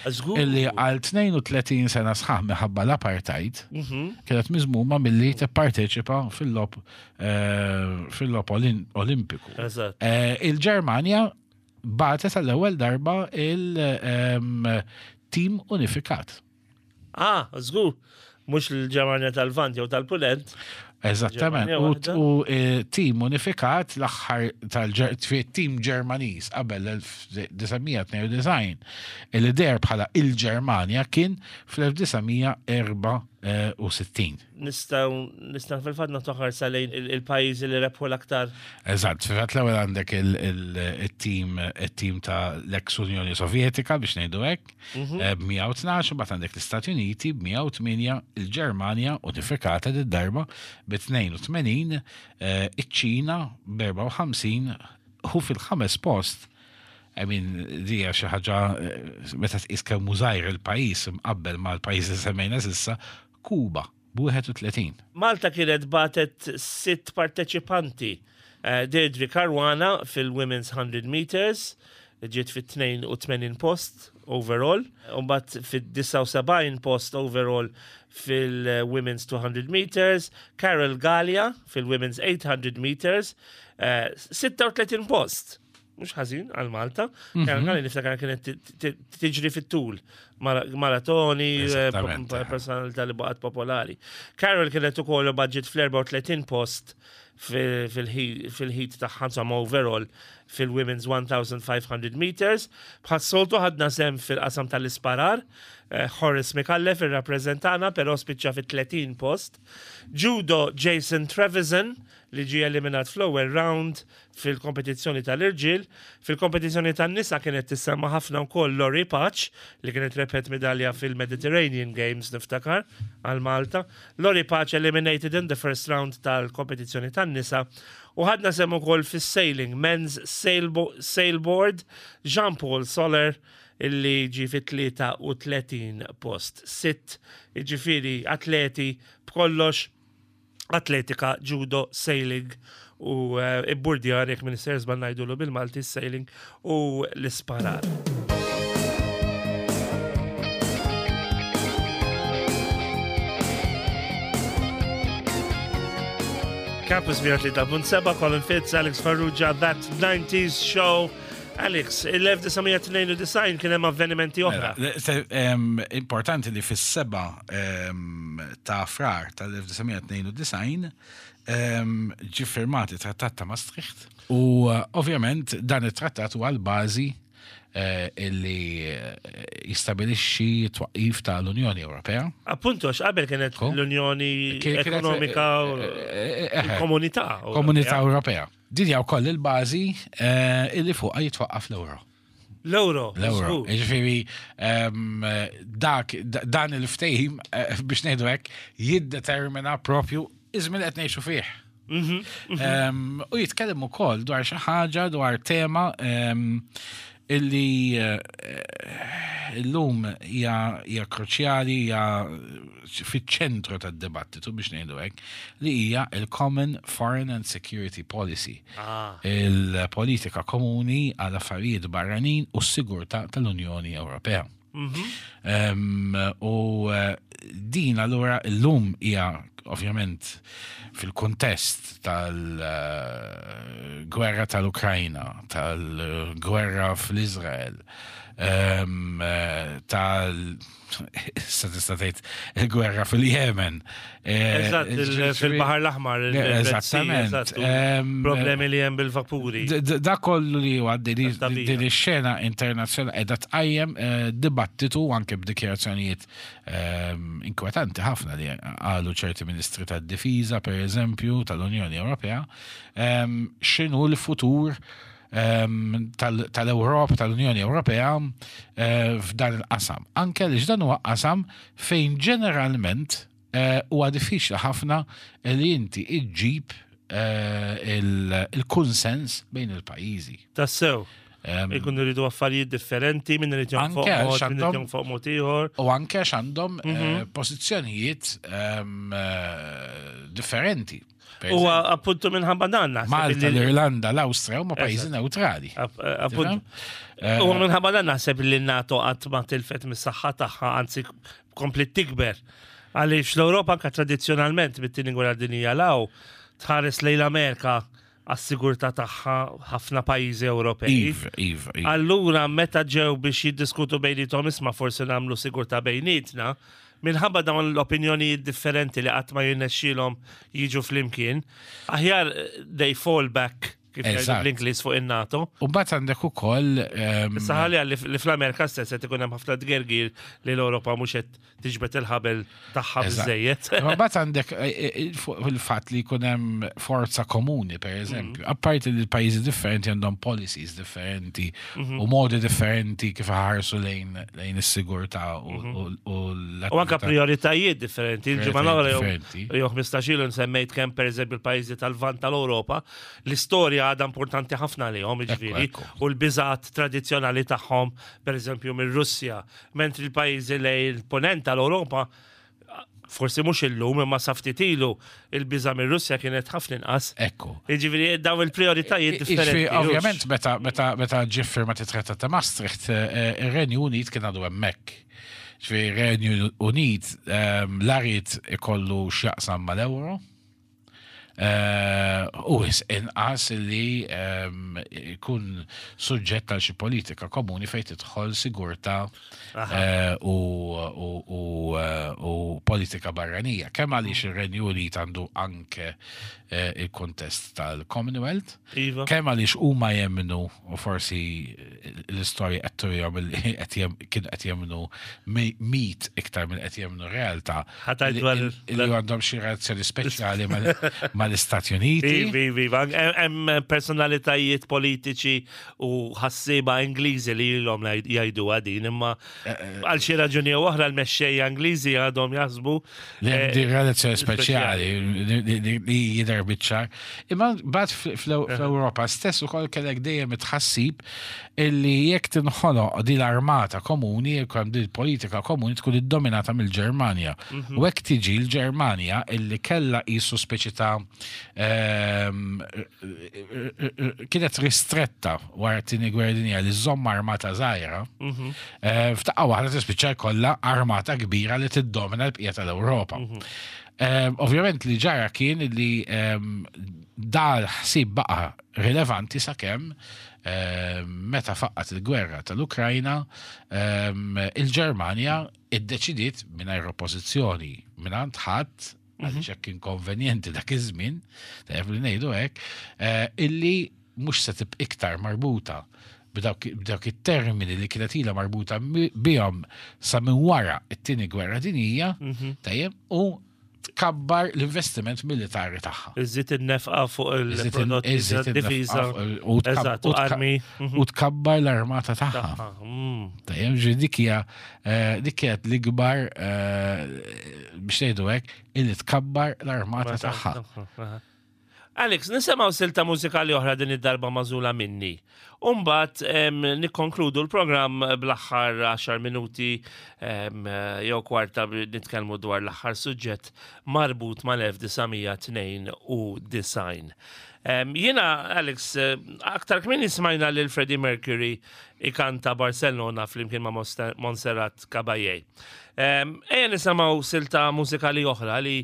Żgur. Illi għal tnejn u tletin sena sħaħ minħabba l-apartheid Mhm. kienet miżmuma milli tipparteċipa fil-logħob eh, fil-logħob olin- olimpiku. Eżatt. Eh, Il-Ġermanja bagħtet għall-ewwel darba il-tim unifikat. Ah, żgur. Mhux l-Ġermanja tal-Lvant jew tal-Punent. Eżattament. Ġermanja U, waħda. u eh, tim unifikat l-aħħar tal-tim Ġermaniż qabel l-elf disa' mija tnejn u disgħin illi deher bħala il-Ġermanja kien fl-elf disa' mija erbgħa u sittin. Nistgħu nistgħu fil-fatt nagħtu ħarsa lejn il- il-pajjiżi li rebħu l-aktar. Eżatt, fil-fatt l-ewwel għandek il-tim il-tim ta' l-ex Unjoni Sovjetika biex ngħidu hekk, eh, b'mija u tnax, u mbagħad għandek l-Istati Uniti b'mija u tmienja, il-Ġermanja unifikata d-darba b' tnejn u tmenin, eh, iċ-Ċina b'erbgħa u ħamsin u fil-ħames post. I mean, dija xi ħaġa eh, meta tqis kemm hu żgħir il-pajjiż imqabbel mal-pajjiż li semmejna s'issa, Kuba b'wieħed u tletin. Malta kienet bagħtet sitt parteċipanti. Eh, Deirdre Caruana fil-Women's hundred Meters, ġiet fit-tnejn u tmenin post overall, Umbat fit-disgħa u sebgħin post overall fil-Women's two hundred Meters, Carol Gallia fil-Women's eight hundred Meters, eh, sitta u tletin post. Mhux ħażin għal Malta. Carol Gallia niftakar kienet ti- ti- tiġri fit-tul, mara- maratoni, eh, Eżattament. personalità li baqgħet popolari. Carol kienet ukoll budget fl-erbgħa u tletin post fil-heat tagħha, insomma overall fil-Women's fifteen hundred meters. Bħas-soltu ħadna sehem fil-qasam tal-isparar, eh, Horace Micallef irrappreżentana, però spiċċa fit-tletin post. Judo, Jason Trevisan li ġie eliminat fl-ewwel round fil-kompetizzjoni tal-irġiel. Fil-kompetizzjoni tan-nisa kienet tissemma ħafna wkoll Lori Patch li kienet rebħet medalja fil-Mediterranean Games, niftakar, għal Malta. Lori Patch eliminated in the first round tal-kompetizzjoni tan-nisa. U ħadna sehem ukoll fis-sailing, men's sailbo sailboard, Jean-Paul Soler illi ġi fit-tlieta u tletin post. Sitt, ġifieri, atleti b'kollox, atletika, judo, sailing u uh, ibburdjar, jekk m'iniex żball ngħidulu bil-Malti sailing, u l-isparar. Campus mija u tlieta punt seba, Colin Fitz, Alex Farrugia, That nineties Show. Alex, il-elf disa' mija tnejn u disgħin kien hemm avvenimenti oħra. Mela, se- em, Importanti li fis-seba em, ta' Frar tal-elf disa' mija tnejn u disgħin em, ġi firmati trattat ta' Maastricht u eh, ovvjament dan it-trattat huwa l-bażi eh, illi eh, jistabilixxi twaqqif tal-Unjoni Ewropea. Appunto, għax qabel kienet Ko? l-Unjoni Kien- kienet, Ekonomika u eh, eh, eh, il-Komunità. Komunità Ewropea. Din hija wkoll il-bażi eh, illi fuqha jitwaqqaf l-euro. L-euro. L-euro. Żgur. Ġifieri, em, dak, da- dan il-ftehim, eh, biex ngħidu hekk, jiddetermina propju iż-żmien qed ngħixu fih. Mhm, Em, U jitkellem ukoll dwar xi ħaġa, dwar tema em, illi eh, illum hija hija kruċjali, hija fiċ-ċentru tad-dibattitu, biex ngħidu hekk, li hija il-Common Foreign and Security Policy. Ah. Il-politika komuni għal affarijiet barranin u s-sigurtà tal-Unjoni Ewropea. Em, U eh, din allura illum hija ovvjament fil-kontest tal-gwerra tal-Ukrajna, tal-gwerra fl-Izrael, em, eh, tal issa tista' tgħid il-gwerra fil-Jemen. Eh, Eżatt, il- fil-Baħar l-Aħmar, il- il-Red Sea, Eżattament. eżatt, u Em, problemi li hemm bil-vapuri. D- d- Da kollu li huwa din Tat-tabija. din ix-xena internazzjonali qiegħda tqajjem eh, dibattitu anke b'dikjarazzjonijiet ehm, inkwetanti ħafna li qalu ċerti ministri tad-difiża, pereżempju, tal-Unjoni Ewropea, ehm, x'inhu l-futur ehm, tal- tal-Ewropa, tal-Unjoni Ewropea eh, f'dan il-qasam. Anke li dan huwa qasam fejn ġeneralment eh, huwa diffiċli ħafna li inti iġġib eh, il- il-konsens bejn il-pajjiżi. Tassew. Ehm, Ikunu rridu affarijiet differenti, minn irid jonfoq Anke mod, min irid x'għandhom- jonfoq mod ieħor. U anke x'għandhom Mhm. eh, pożizzjonijiet ehm, eh, differenti. Per U eżempju, appuntu minħabba dan naħseb Malta, illi- l-Irlanda, l-Awstrija huma pajjiżi neutrali. App- Appuntu. Eh, U minħabba dan naħseb li n-NATO qatt ma tilfet mis-saħħa tagħha, anzi komplet tikber. Għaliex l-Ewropa anka tradizzjonalment mit-tieni gwerra dinjija 'l hawn tħares lejn l-Amerika għas-sigurtà tagħha, ħafna pajjiżi Ewropej. Iva, iva, iva. Allura meta ġew biex jiddiskutu bejniethom, isma', forsi nagħmlu sigurtà bejnietna, minħabba dawn l-opinjonijiet differenti li qatt ma jirnexxielhom jiġu flimkien, aħjar eh, they fall back, kif jgħidu Eżatt. bl-Ingliż, fuq in-NATO. U mbagħad għandek ukoll ehm, Issa ħalli li li fl-Amerika stess qed ikun hemm ħafna tgergir li l-Ewropa mhux qed tiġbed il-ħabel tagħha Eżatt. biżejjed. Ma mbagħad għandek eh, eh, fuq il-fatt li jkun hemm forza komuni, per eżempju. Apparti li l-pajjiżi differenti għandhom policies differenti u modi differenti kif ħarsu lejn lejn is-sigurtà u u- u U anka l-attività. prioritajiet differenti. Il-ġimgħa l-oħra jew- Differenti. jew ħmistax ilu nsemmejt kemm pereżempju l-pajjiżi tal-Lvant tal-Ewropa, l-istorja għadha importanti ħafna lihom, jiġifieri, ekku. u l-biżat tradizzjonali tagħhom pereżempju mir-Russja, mentri l-pajjiżi lejn il-ponent tal-Ewropa, forsi mhux illum imma sa ftit ilu, il-biża mir-Russja kienet ħafna inqas. Ekku. Jiġifieri dawn il-prioritajiet differenti. Jiġifieri, ovvjament, meta meta meta ġie firmat it-Trattat ta' Maastricht, eh, ir-Renju Unit kien għadu hemmhekk. Ġifieri ir-Renju Unit ehm, la ried ikollu x'jaqsam mal-euro. Eh, U wisq inqas li ehm, ikun suġġett għal xi politika komuni fejn tidħol sigurtà eh, u, u, u, eh, u politika barranija. Kemm għaliex ir-Renju Unit għandu anke eh, il-kontest tal-Commonwealth, Iva. kemm għaliex huma jemmnu u forsi l-istorja qed turihom li qed jem- kienu qed jemmnu mi- mit iktar minn qed jemmnu realtà Ħa tgħid li dwar li għandhom xi relazzjoni speċjali mal- mal-Istati Uniti. Iva, iva, iva. Hemm personalitajiet politiċi u ħassieba Ingliżi li ilhom jgħidu din, imma għal xi raġuni jew oħra l-mexxejja Ingliżi għadhom jaħsbu Li hemm eh, di relazzjoni speċjali li- li li- li jidher biċ-ċar. Imma mbagħad fl-Ewropa stess ukoll kellek dejjem it-tħassib illi jekk tinħoloq din l-armata komuni, jekk hemm din politika komuni tkun iddominata mill-Ġermanja. U hekk tiġi l-Ġermanja illi kellha qisu speċi ta' ehm, kienet ristretta wara t-tieni gwerra dinja li żomm armata żgħira. Eh, F'daqqa waħda tispiċċa jkollha armata kbira li tiddomina l-bqija tal-Ewropa. Eh, Ovvjament li ġara kien li ehm, dal-ħsieb baqa rilevanti sakemm ehm, meta faqqat il-gwerra tal-Ukrajna ehm, il-Ġermanja iddeċidiet mingħajr oppożizzjoni mingħand ħadd għaliex hekk kien konvenjenti dak iż-żmien, tajjeb li ngħidu hekk, eh, illi mhux se tibqa' iktar marbuta b'dawk b'dawk it-termini li kienet ilha marbuta mi- bihom sa minn wara it-tieni gwerra dinjija, tajjeb, u tkabbar l-investiment militari tagħha. Iżżid in-nefqa fuq Iżid in- il-prodotti iżid tad-difiża. in-nefqa u tkab- Eżatt, u u tka- armi. U tkabbar l-armata tagħha. Tagħha, mm. Tajjeb, ġi dik hija eh, dik kienet l-ikbar eh, biex ngħidu hekk illi tkabbar l-armata tagħha. Aha. Alex, nisimgħu silta mużikali oħra din id-darba magħżula minni. Umbagħad nikkonkludu l-programm bl-aħħar għaxar minuti em, jew kwarta bi- nitkellmu dwar l-aħħar suġġett marbut mal-elf disa' mija tnejn u disgħin. Em, Jiena, Alex, eh, aktar kmieni smajna lil Freddie Mercury ikanta Barcelona flimkien ma' Monster- Montserrat Caballé. Em, Ejja nisimgħu silta mużikali oħra li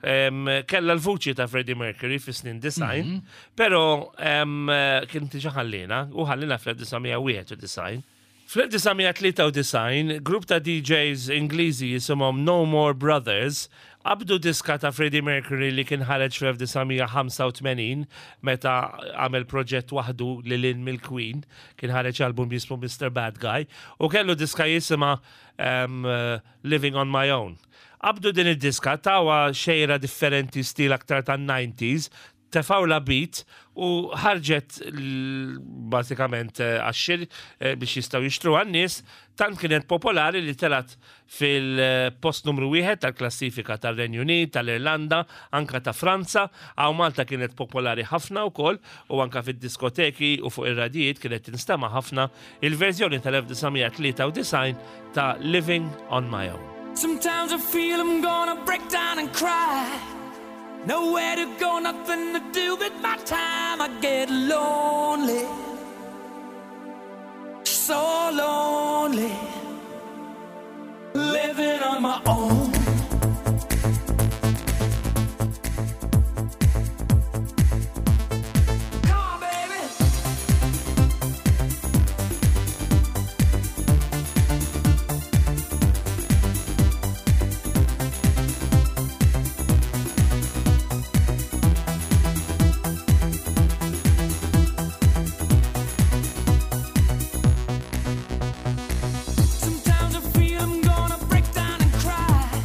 em, kella l-vuċi ta' Freddie Mercury fi snin disgħin, pero em, kien diġà ħallina, u ħallina fl-elf disa' mija wieħed u disgħin. Fl-elf disa' mija tlieta u disgħin, grupp ta' D Js Ingliżi jisimhom No More Brothers qabdu diska ta' Freddie Mercury li kien ħareġ fl-elf disa' mija ħamsa u tmenin meta għamel proġett waħdu lil hinn mill-Queen, kien ħareġ album jismu Mister Bad Guy, u kellu diska jisimha um, uh, Living on My Own. Qabdu din id-diska, tawha xejra differenti, stil aktar ta' nineties, tefgħulha beat u ħarġet l- basikament eh, għax-xiri eh, biex jistgħu jixtru għan-nies, tant kienet popolari li telat fil-post numru wieħed tal-klassifika tal-Renju Unit, tal-Irlanda, anka ta' Franza. Hawn Malta kienet popolari ħafna wkoll u anka fid-diskoteki u fuq ir-radijiet kienet tinstema' ħafna il-verżjoni tal-elf disa' mija tlieta u disgħin ta' Living on My Own. Sometimes I feel I'm gonna break down and cry. Nowhere to go, nothing to do with my time. I get lonely, so lonely, living on my own. Come on, baby. Sometimes I feel I'm gonna break down and cry.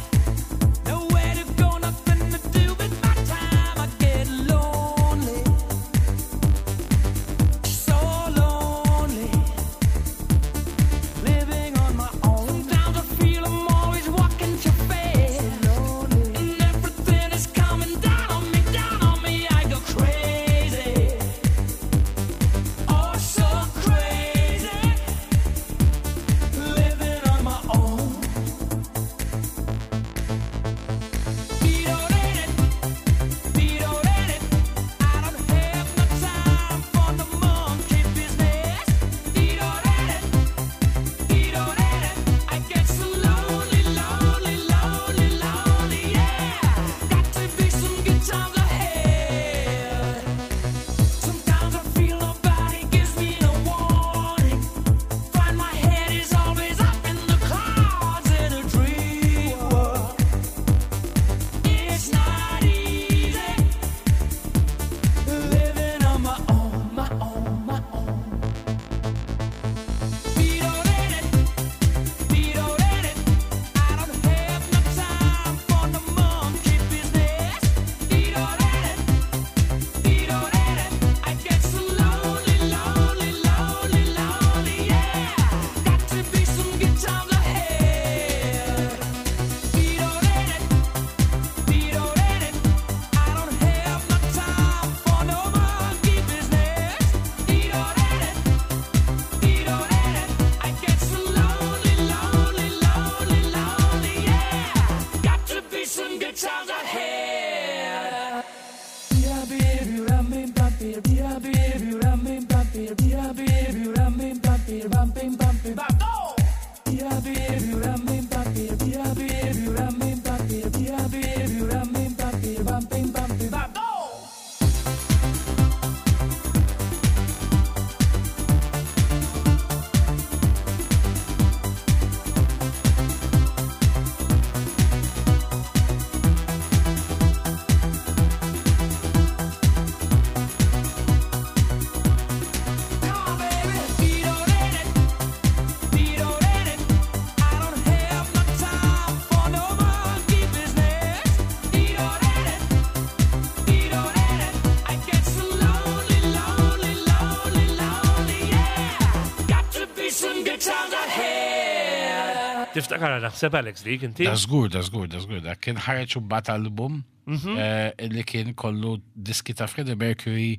Tiftakar naħseb, Alex, dik inti? Da żgur, da żgur, da żgur, da kien ħareġ imbagħad album Mhm. eh, li kien kollu diski ta' Freddie Mercury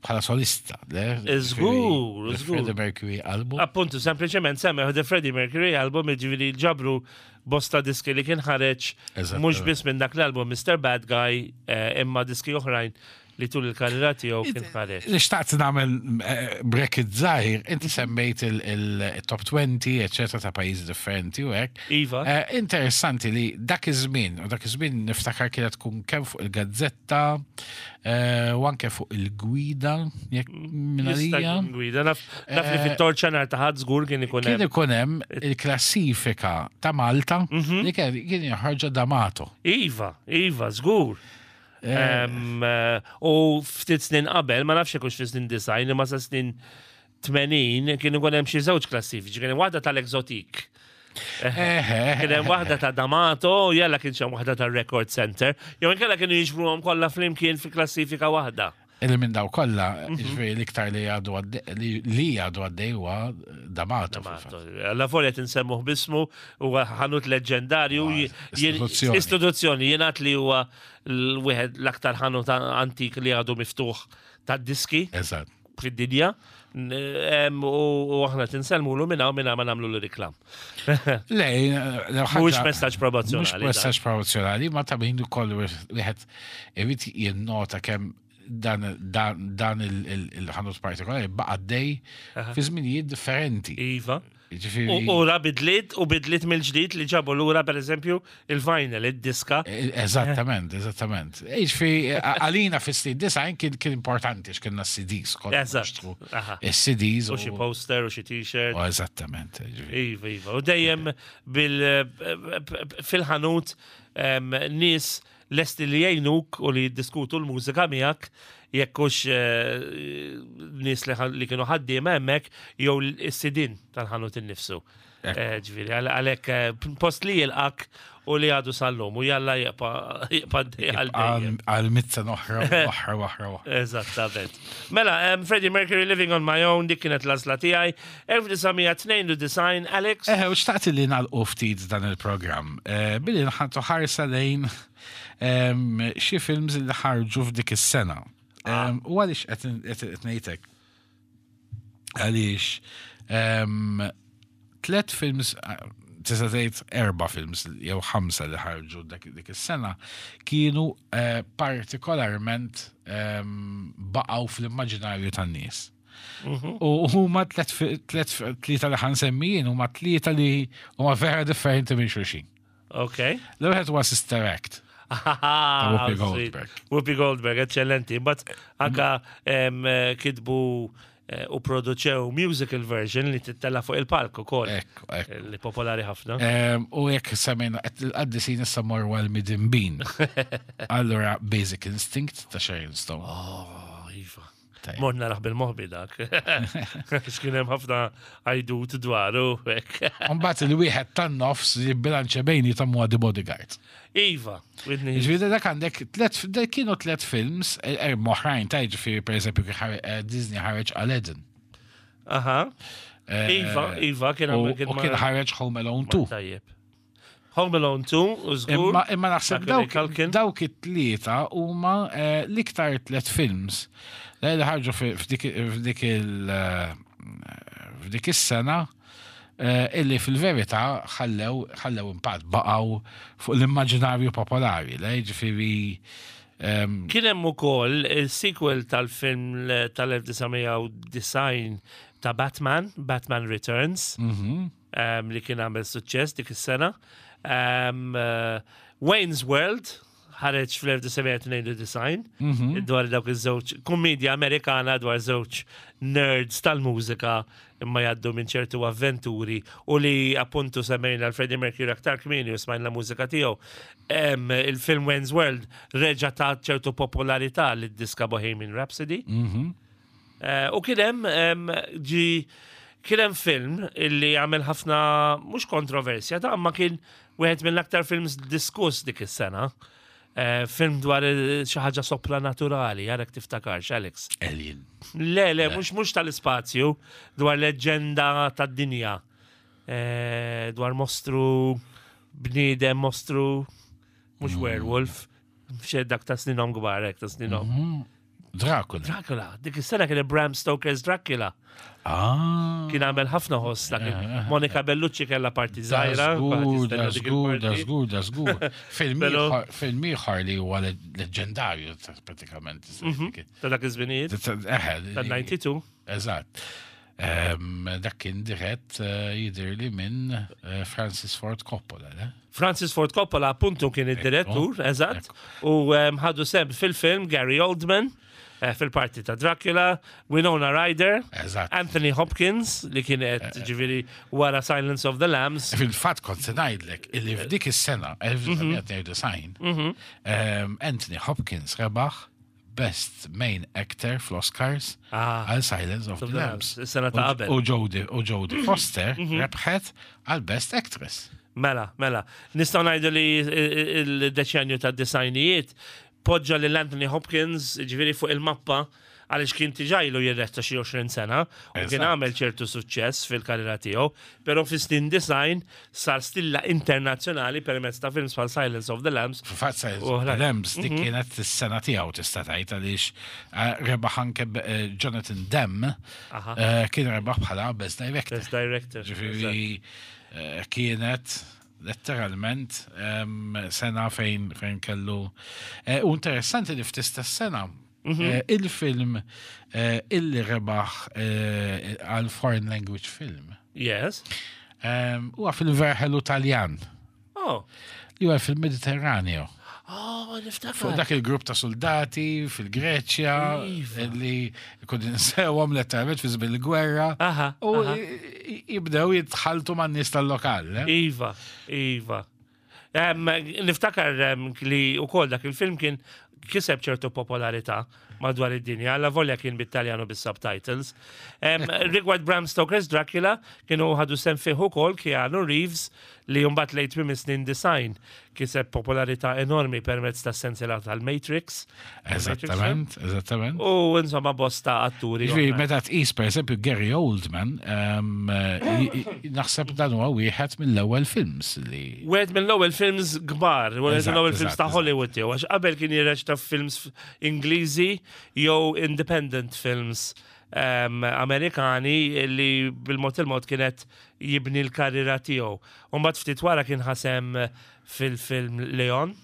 bħala solista. Le? Żgur, The żgur. Freddie Mercury album. Appuntu, sempliċement semmew The Freddie Mercury album, ġifieri ġabru bosta diski li kien ħareġ Eżattament. mhux biss minn dak l-album Mister Bad Guy, eh, imma diski oħrajn li tul il-karriera tiegħu kien ħareġ. Li xtaqt nagħmel eh, bracket żgħir, inti semmejt il-top twenty, eccetera, ta' pajjiżi differenti u hekk. Iva. Eh, Interessanti li dak iż-żmien, u dak iż-żmien niftakar kienet tkun kemm fuq il-gazzetta eh, u anke fuq il-gwida, jekk minn Jista' għalija. jkun gwida. Naf naf li Eh, fit-Torċa nhar ta' Ħadd żgur kien ikun Kien hemm. ikun hemm il-klassifika ta' Malta Mhm. li kien kien joħorġa D'Amato. Iva, iva, żgur. Em, eh, U ftit snin qabel, ma nafx hekk fi snin disgħin, imma sa snin tmenin kien ikun hemm xi żewġ klassifiċi, kien hemm waħda tal-Exotique. Eħe, Kien hemm waħda ta' D'Amato, u jalla kien hemm waħda tar-Record Center. Jew inkella kienu jiġbruhom kollha flimkien fi klassifika waħda. Illi minn daw kollha, Mhm. ġifieri l-iktar li għadu għaddej- li li għadu għaddej huwa D'Amato. D'Amato. Alla volja tinsemmuh bismu, huwa ħanut leġendarju. Ah, j- jien- istituzzjoni. Istituzzjoni, jingħad li huwa l-wieħed l-aktar ħanut antik li għadu miftuħ tad-diski Eżatt. fid-dinja. N- em, U u aħna tinsellmulu minna u minna ma nagħmlu l-reklam. Le, Mhuwiex messaġġ promozzjonali. Mhux messaġġ promozzjonali, ma ta' min ukoll wieħed irid jinnota kemm dan dan dan il- il- il-ħanut partikolari baqa' għaddej fi żminijiet differenti. Iva. Ġifieri- U ra bidliet u bidliet mill-ġdid li ġabu lura, per eżempju, il-vinyl, id-diska. E- Eżattament, eżattament. Ġifieri għalina fis-snin disgħin kien kien importanti x'kienna C Ds. Konna Eżatt. nixtru Aha. is-C Ds U xi poster u xi t-shirt. u eżattament. Ġifieri. Iva, iva. U dejjem bil fil-ħanut em, nies lesti li jgħinuk u li jiddiskutu l-mużika miegħek, jekk hux eh, nies li ħa- li kienu ħaddiema hemmhekk jew is-sidin tal-ħanut innifsu. Eh, Ġifieri, għal- għalhekk eh, post li jilqak u li għadu sal-lum u jalla jibqa' jibqa' għal dejjem. Għal mitt sena oħra, oħra, oħra, oħra. Eżattament. Mela, um, Freddie Mercury, Living on My Own, dik kienet l-għażla tiegħi. elf disa' mija tnejn u disgħin, Alex. Eħe, u xtaqt li nagħlqu ftit dan il-programm. Eh, Billi nħantu ħarsa lejn em, xi films li ħarġu f'dik is-sena. Em, U għaliex qed ngħidlek? Għaliex em, tlet films, eh, tista' tgħid erba' films jew ħamsa li ħarġu dak dik is-sena kienu eh, partikolarment em, baqgħu fl-immaġinarju tan-nies. U huma tlet fi- tlet tlieta li ħa nsemmi huma tlieta li huma vera differenti minn xulxin. Ok. L-ewwel huwa Sister Act. Whoopi Goldberg. Whoopi Goldberg, eccellenti. But anka em, eh, kitbu eh, u produċew musical version li tittella fuq il-palk ukoll. Ekku, ekku. Li popolari ħafna. Em, U jekk semmejna qed il-qaddisin, issa morru għal midinbin. Allura Basic Instinct ta' Sharon Stone. Oh, iva. Tajjeb. Morna raħ bil-moħbi dak. X'kien hemm ħafna għajdut dwaru. Hekk. Mbagħad il-wieħed tan-nofs li bilanċa bejni ta' huwa The Bodyguard. Iva, Whitney. Ġifieri dak għandek tlet, dak kienu tlet films, eh, eh, oħrajn ta' ġifieri pereżempju kien ħare- eh, Disney ħareġ Aladdin. Aha. Eh, Iva, Iva, kien U kien u kien ħareġ Home Alone two. Tajjeb. Home Alone two, u żgur. Imma imma naħseb Macaulay dawk Culkin. dawk it-tlieta huma eh, l-iktar tlet films li ħarġu fi- f'dik f'dik il eh, f'dik is-sena eh, illi fil-verità ħallew ħallew impatt, baqgħu fuq l-immaġinarju popolari, le ġifieri ehm, Kien hemm ukoll il-sequel tal-film tal-elf disa' mija u disgħin ta' Batman, Batman Returns, mhm. um, li kien għamel suċċess dik is-sena. Um, uh, Wayne's World ħareġ fl-elf disa' mija tnejn u disgħin dwar dawk iż-żewġ kummedja Amerikana dwar żewġ nerds tal-mużika imma jgħaddu minn ċertu avventuri, u li appuntu semmejna l-Freddie Mercury aktar kmieni u smajna l-mużika tiegħu. Em, Il-film Wayne's World reġa' ta' ċertu popolarità lid-diska Bohemian Rhapsody. Eh, U kien hemm em, ġi kien hemm film illi għamel ħafna, mhux kontroversja, ta' ma kien wieħed mill-aktar films diskuss dik is-sena. Eh, film dwar eh, xi ħaġa sopranaturali, għarek tiftakarx, Alex. Alien. Le, le, mhux mhux tal-ispazju, dwar leġenda tad-dinja. Eh, dwar mostru, bniedem mostru, mhux werewolf, xed dak ta' sninom kbar, hekk ta' sninom. Dracula. Dracula, dik is-sena kien Bram Stoker's Dracula. Ah. Kien għamel ħafna ħoss dak. Monica Bellucci kellha parti żgħira. Żgur, da żgur, da żgur, da żgur. Film Pero- ieħor- Film ieħor li huwa le- leġendarju ta- pratikament. Ta' dak iż-żminijiet, Eħe, ta' disgħa u disgħin. Eżatt. Em, Dak kien dirett eh, jidher li minn eh, Francis Ford Coppola, le? Francis Ford Coppola appuntu kien id-direttur, eżatt, u em, ħadu sehem fil-film Gary Oldman, eh, fil-parti ta' Dracula, Winona Ryder, Eżatt. Anthony Hopkins, li kienet ġifieri wara Silence of the Lambs. Fil-fatt kont se ngħidlek illi f'dik is-sena elf disa' mija tnejn u disgħin em, Anthony Hopkins rebaħ Best Main Actor fl-Oscars Ah. għal Silence of the Lambs. Is-sena ta' U- qabel. U Jodie u Jodie Foster rebħet għal Best Actress. Mela, mela. Nistgħu ngħidu li il-deċenju ta' disgħinijiet poġġa lil Anthony Hopkins ġifieri fuq il-mappa, għaliex kien diġà ilu jirreċta xi għoxrin sena u kien Eżatt. għamel ċertu suċċess fil-karriera tiegħu, però fis-snin disgħin sar stilla internazzjonali permezz ta' films bħal Silence of the Lambs. Fil-fatt Silence U of the oħrajn. Lambs dik kienet is-sena tiegħu, tista' tgħid, għaliex eh, rebaħ anke eh, Jonathan Demme Aha. eh, kien rebaħ bħala Best Director. Best Director. Ġifieri eh, kienet letteralment em, sena fejn fejn kellu. Eh, U interessanti li fl-istess sena eh, il-film eh, illi rebaħ eh, għal foreign language film Yes. em, huwa fil-verħelu Taljan Oh. li huwa fil-Mediterraneo. Oh, Fuq niftakar. dak il-grupp ta' soldati fil-Greċja Iva. li kun insewhom letteralment fi żmien il-gwerra Aha, u aha. i- jibdew jitħaltu man-nies tal-lokal. eh? Iva, Iva. Em, niftakar em, li u kol dak il-film kien kiseb ċertu popolarità madwar id-dinja, alla volja kien bit-Taljanu bis-subtitles. Em, Rigward Bram Stoker's Dracula, kienu ħadu sehem fih ukoll Keanu Reeves, li mbagħad lejn tmiem is-snin disgħin kiseb popolarità enormi permezz ta' sensiela tal-Matrix. Eżattament, eżattament. U insomma bosta atturi Ġifieri, oħrajn. meta tqis per eżempju Gary Oldman, em, i- i- naħseb dan huwa wieħed mill-ewwel films li. Wieħed mill-ewwel films kbar, wieħed Eżatt, mill-ewwel films eżatt, ta' eżatt. Hollywood tiegħu, għax qabel kien jirreċta films Ingliżi jew independent films um, Amerikani li bil-mod il-mod kienet jibni l-karriera tiegħu. U mbagħad ftit wara kien ħa sehem fil-film Leon,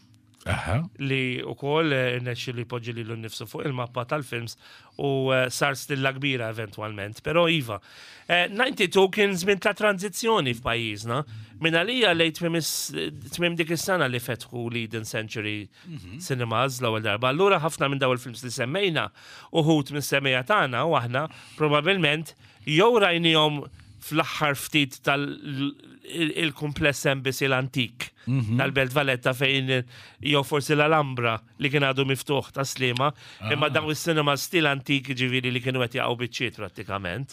Aha. li u koll irnexxi li jpoġġi lilu nnifsu fuq il-mappa tal-films u eh, sar stilla kbira eventualment. Pero iva, eh, disgħa u disgħin kien żmien ta' tranzizzjoni f'pajjiżna. Min għalija lejn tmiem is- tmiem dik is-sena li fetħu l-Eden Century Cinemas l-ewwel darba. Allura ħafna minn daw il-films li semmejna, uħud minn semmejja tagħna u aħna probabbilment jew rajnihom fl-aħħar ftit tal-kumpless Embassy l-antik tal-Belt Valletta fejn jew forsi l-Alhambra li kien għadu miftuħ ta' Sliema, imma dawn is-cinema stil antik, ġifieri li kienu qed jaqgħu biċċiet prattikament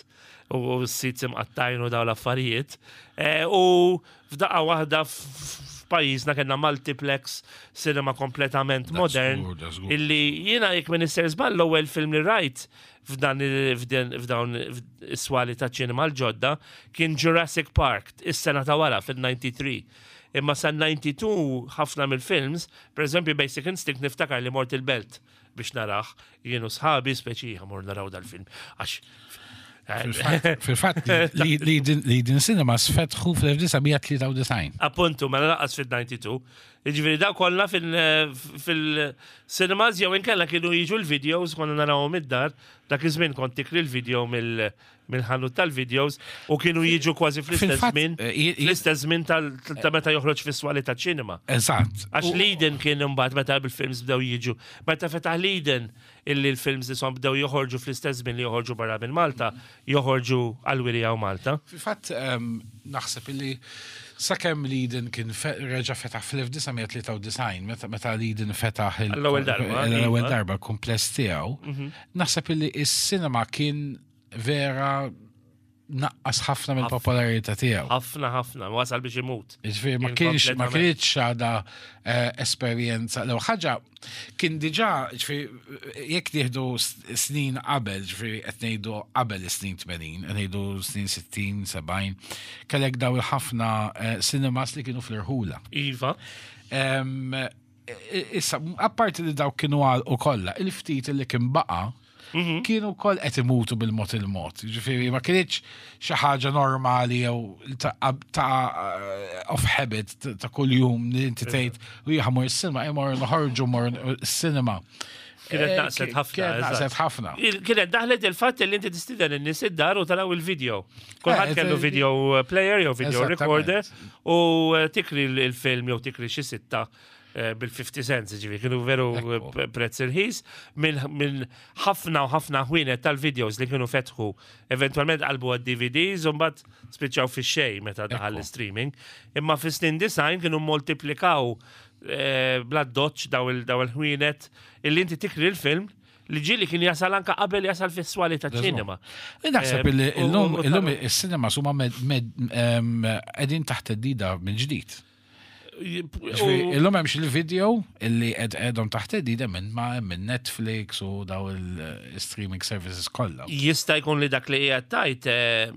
u s-seats imqattajn u daw l-affarijiet. Eh, U f'daqqa waħda f'pajjiżna kellna multiplex cinema kompletament modern żgur, da żgur. illi jiena, jekk m'iniex sejjer żball, l-ewwel film li rajt f'dan il- f'dan f'dawn is-swali ta' ċinema l-ġodda kien Jurassic Park is-sena ta' wara fil-disgħa u disgħin. Imma sa disgħa u tnejn ħafna mill-films, per eżempju Basic Instinct, niftakar li mort il-Belt biex narah, jien u sħabi, speċi mor naraw dal-film. Għax Fil-fatt li l-Eden Cinemas fetħu fl-elf disa' mija tlieta u disgħin. Appuntu, ma lanqas fil-disgħa u disgħin. Ġifieri daw kollha fil-cinemas jew inkella kienu jiġu l-videos, konna narawhom id-dar, dak iż-żmien kont tikri l-video mill-ħanut tal-videos u kienu jiġu kważi fl-istess Fil-fatt, żmien, eh, i- i- fl-istess żmien tal- ta' meta joħroġ fis-swali ta' ċinema. Eżatt. Għax U- l-Eden kien imbagħad meta bil-films bdew jiġu. Meta fetaħ l-Eden illi l-films isom bdew joħorġu fl-istess żmien li joħorġu barra minn Malta, joħorġu għal-wirja u Malta. Fil-fatt em, naħseb illi sakemm l-Eden kien fe- reġa' fetaħ fl-elf disa' mija tlieta u disgħin, meta meta l-Eden fetaħ il- L-ewwel darba, l-ewwel iva. darba l-kumpless tiegħu, naħseb illi is-cinema kien vera naqqas ħafna mill-popolarità tiegħu. Ħafna ħafna, wasal biex imut. Ġifieri ma Kien kienx ma kompletament. kienx għada eh, esperjenza. Lew ħaġa kien diġà, ġifieri jekk nieħdu s- snin qabel, ġifieri qed ngħidu qabel is-snin tmenin, qed ngħidu snin sittin, sebgħin, kellek daw il-ħafna eh, cinemas li kienu fl-irħula. Iva. Em, i- Issa, apparti li daw kienu għal u kollha, il-ftit li kien baqa, kienu koll qed imutu bil-mod il-mod. Ġifieri ma kienx xi ħaġa normali jew ta' ta' of habit ta' ta' kuljum li inti tgħid u jien mor is-cinema, mor noħorġu mor is-cinema. Kienet Eh, naqset ħafna. Kienet eżatt. naqset ħafna. Il- Kienet daħlet il-fatt li inti tistieden in-nies id-dar u taraw il-video. Kulħadd Eh, kellu eh, video player jew video Eżattament. recorder u eh, tikri l- il-film jew tikri xi sitta eh, bil-fifty cents, ġifi, kienu veru eh, Ekku. pre- prezz irħis minn min ħafna u ħafna ħwienet tal-videos li kienu fetħu eventualment qalbu għad-D V Ds u mbagħad spiċċaw fix-xejn meta daħal Ekku. l-streaming. Imma fis-snin disgħin kienu moltiplikaw eh, bla doċ daw il- daw il-ħwienet illi inti tikri l-film li ġili kien jasal anka qabel jasal fis-swali ta' ċinema. Naħseb Eh, illi u- illum u- u illum taru- is-cinema huma med- med- em, qegħdin taħt theddida minn ġdid. Ġifieri, illum hemm il-video illi qed qegħdhom taħt theddida minn ma minn Netflix u daw il-streaming services kollha. Jista' jkun li dak li qiegħed tajt eh,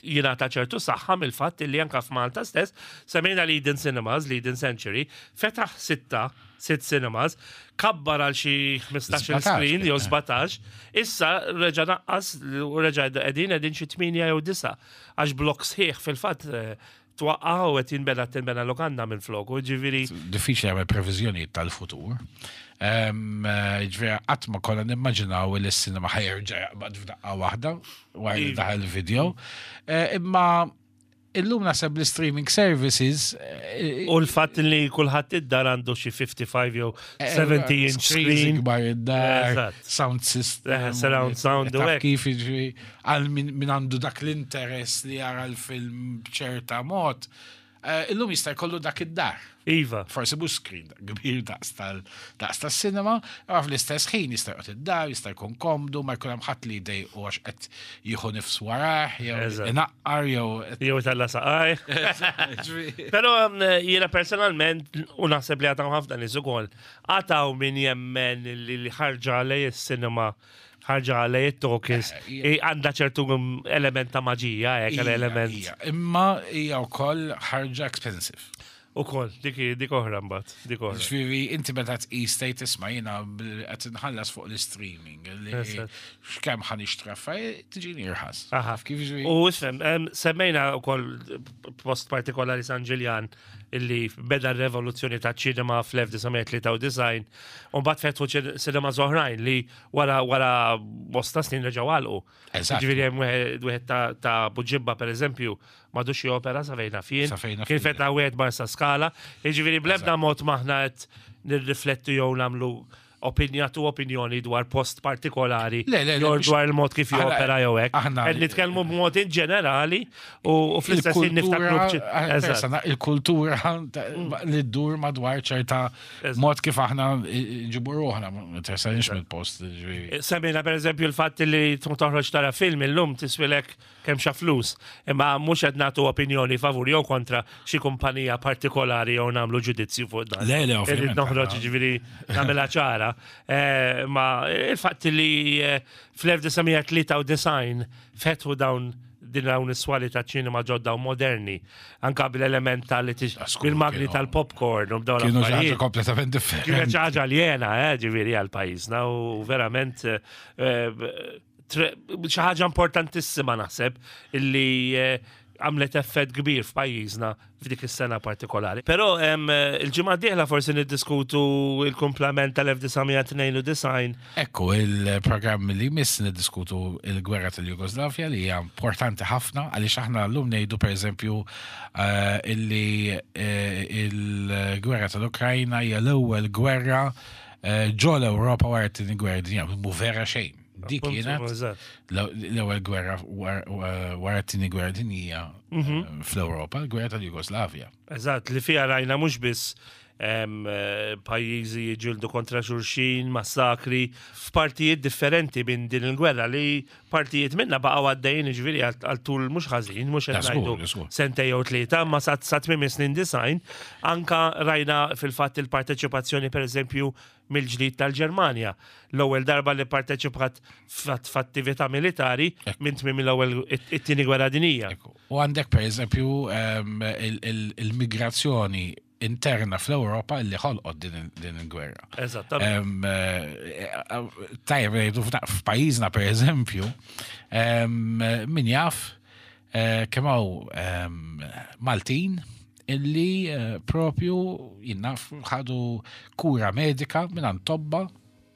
jingħata ċertu saħħa mill-fatt li anka f'Malta stess semmejna li Eden Cinemas, li Eden Century, fetaħ sitta, sitt cinemas, kabbar għal xi ħmistax-il sbatax, screen jew eh. sbatax, issa reġa' naqqas u reġa' qegħdin qegħdin xi tmienja jew disa' għax blok sħiħ fil-fatt eh, twaqqa' u qed jinbena tinbena lokanda minn flok, u ġifieri Diffiċli jagħmel previżjonijiet tal-futur. Em, eh, Ġifieri qatt ma konna nimmaġinaw li s-sinema ħa jerġa' jaqbad f'daqqa waħda wara li Iva. daħal il-video. Eh, Imma illum naħseb l-streaming services eh, U l-fatt li kulħadd id-dar għandu xi fifty-five jew seventy inch screens screen. ikbar id-dar, Eżatt. sound system. Eh, surround sound u Taf hekk. kif jiġri għal min min għandu dak l-interess li jara l-film b'ċerta mod. eh, Illum jista' jkollu dak id-dar. Iva. Forsi mhux screen kbir daqs tal daqs tas-cinema, imma fl-istess ħin jista' joqgħod id-dar, jista' jkun komdu, ma jkun hemm ħadd li jdejqu għax qed jieħu nifs warah, jew Eżatt. inaqqar jew Jew talla saqaj. Pero um, jiena personalment, u naħseb li għataw ħafna nies ukoll, għataw min jemmen li li ħarġa lej is-cinema, ħarġa lej it-talkies, Eh, hija- għandha ċertu um, element ta' maġija, hekk Hija, element. hija. Imma hija wkoll ħarġa expensive. Ukoll, dik dik oħra mbagħad, dik oħra. Ġifieri, inti meta tqis tgħid isma' jiena bil- qed inħallas fuq l-streaming li Eżatt. x'kemm ħa nixtri affarijiet tiġini irħas. Aha. Kif ġifieri? U isfem, em, semmejna wkoll post partikolari San Ġiljan illi beda r-revoluzzjoni ta' ċinema fl-elf disa' mija tlieta u disgħin u mbagħad fetħu ċin- cinema oħrajn li wara wara bosta snin reġgħu għalqu. Eżatt. Ġifieri hemm wieħed wieħed ta' ta' Buġibba pereżempju m'għadux jopera sa fejna fien. Sa fejna Kien fien. fetaħ wieħed Marsa Skala. Jiġifieri bl-ebda mod maħna qed nirriflettu jew nagħmlu opinjatu opinjoni dwar post partikolari Le, le, le, jew biex- dwar il-mod kif Aħna- jopera jew hekk. aħna- Qed nitkellmu b'mod in ġenerali u u fl-istess ħin niftakru b'ċi- Il-kultura, Eżatt. persona, il-kultura ta- li ddur madwar ċerta Eżatt. mod kif aħna ġibu ruħna, ma tersanix mill-post. ġifieri. Semmejna per eżempju il-fatt li tkun toħroġ tara film illum tiswilek kemm xa flus, imma mhux qed nagħtu opinjoni favur jew kontra xi kumpanija partikolari jew nagħmlu ġudizzju fuq dan. Le, le, Irrid ovvjament, noħroġ aħna- ġifieri nagħmilha ċara. Eh, Ma il-fatt li eh, fl-elf disa' mija tlieta u disgħin fetħu dawn din dawn is-swali ta' ċinema ġodda u moderni, anka bil-element tal Askur, bil-magni kienu- tal-popcorn u b'dawn Kienu xi ħaġa l-affarijiet. kompletament Kienet differenti. xi ħaġa aljena, eh, ġifieri għal pajjiżna u verament eh, eh, tre- xi ħaġa importantissima naħseb illi eh, għamlet effett kbir f'pajjiżna f'dik is-sena partikolari. Però em, eh, il-ġimgħa d-dieħla forsi niddiskutu il-kumplament tal-elf disa' mija tnejn u disgħin. Ekku, il-programm li miss niddiskutu il-gwerra tal-Jugoslavja li hija importanti ħafna għaliex aħna llum ngħidu pereżempju eh, illi eh, il-gwerra tal-Ukrajna hija l-ewwel gwerra eh, ġo l-Ewropa wara t-tieni gwerra dinja, mhu vera xejn. Dik Appuntu, kienet eżatt. l-ewwel gwerra war- wara t-tieni gwerra dinjija eh, fl-Ewropa, l-gwerra tal-Jugoslavja. Eżatt, li fija rajna mhux biss em, eh, pajjiżi jiġġieldu kontra xulxin, massakri, f'partijiet differenti minn din il-gwerra li partijiet minna baqgħu għaddejjin, ġifieri għal tul mhux ħażin, mhux qed Da, żgur, ngħidu żgur. sentej jew tlieta, ma sa sa tmiem is-snin disgħin, anka rajna fil-fatt il-parteċipazzjoni, per eżempju, mill-ġdid tal-Ġermanja. L-ewwel darba li parteċipat f'at- f'attività militari minn tmiem l-ewwel it-tieni gwerra dinija. Ekku. U għandek, per eżempju, em, il- il- il-migrazzjoni interna fl-Europa li ħolqot din din il-gwerra. Eżattament. Em, eh, eh, Tajjeb, ngħidu f'na- f'pajjiżna, per eżempju, em, min jaf eh, kemm hawn em, Maltin illi eh, propju jinnaf ħadu kura medika minn tobba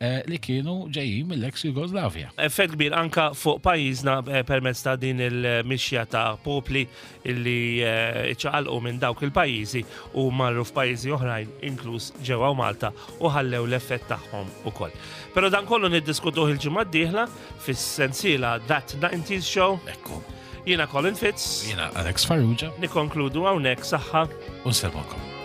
eh, li kienu ġejjin mill-ex Jugoslavja. Effett kbir anka fuq pajjiżna eh, permezz ta' din il-mixja ta' popli illi eh, ċaqalqu minn dawk il-pajjiżi u marru f'pajjiżi oħrajn, inkluż ġewwa Malta, u ħallew l-effett tagħhom ukoll. Però dan kollu niddiskutuh il-ġimgħa d-dieħla fis-sensiela That nineties Show. Ekku. Jiena Colin Fitz. Jiena Alex Farrugia. Nikkonkludu hawnhekk, saħħa. U nsellmulkom.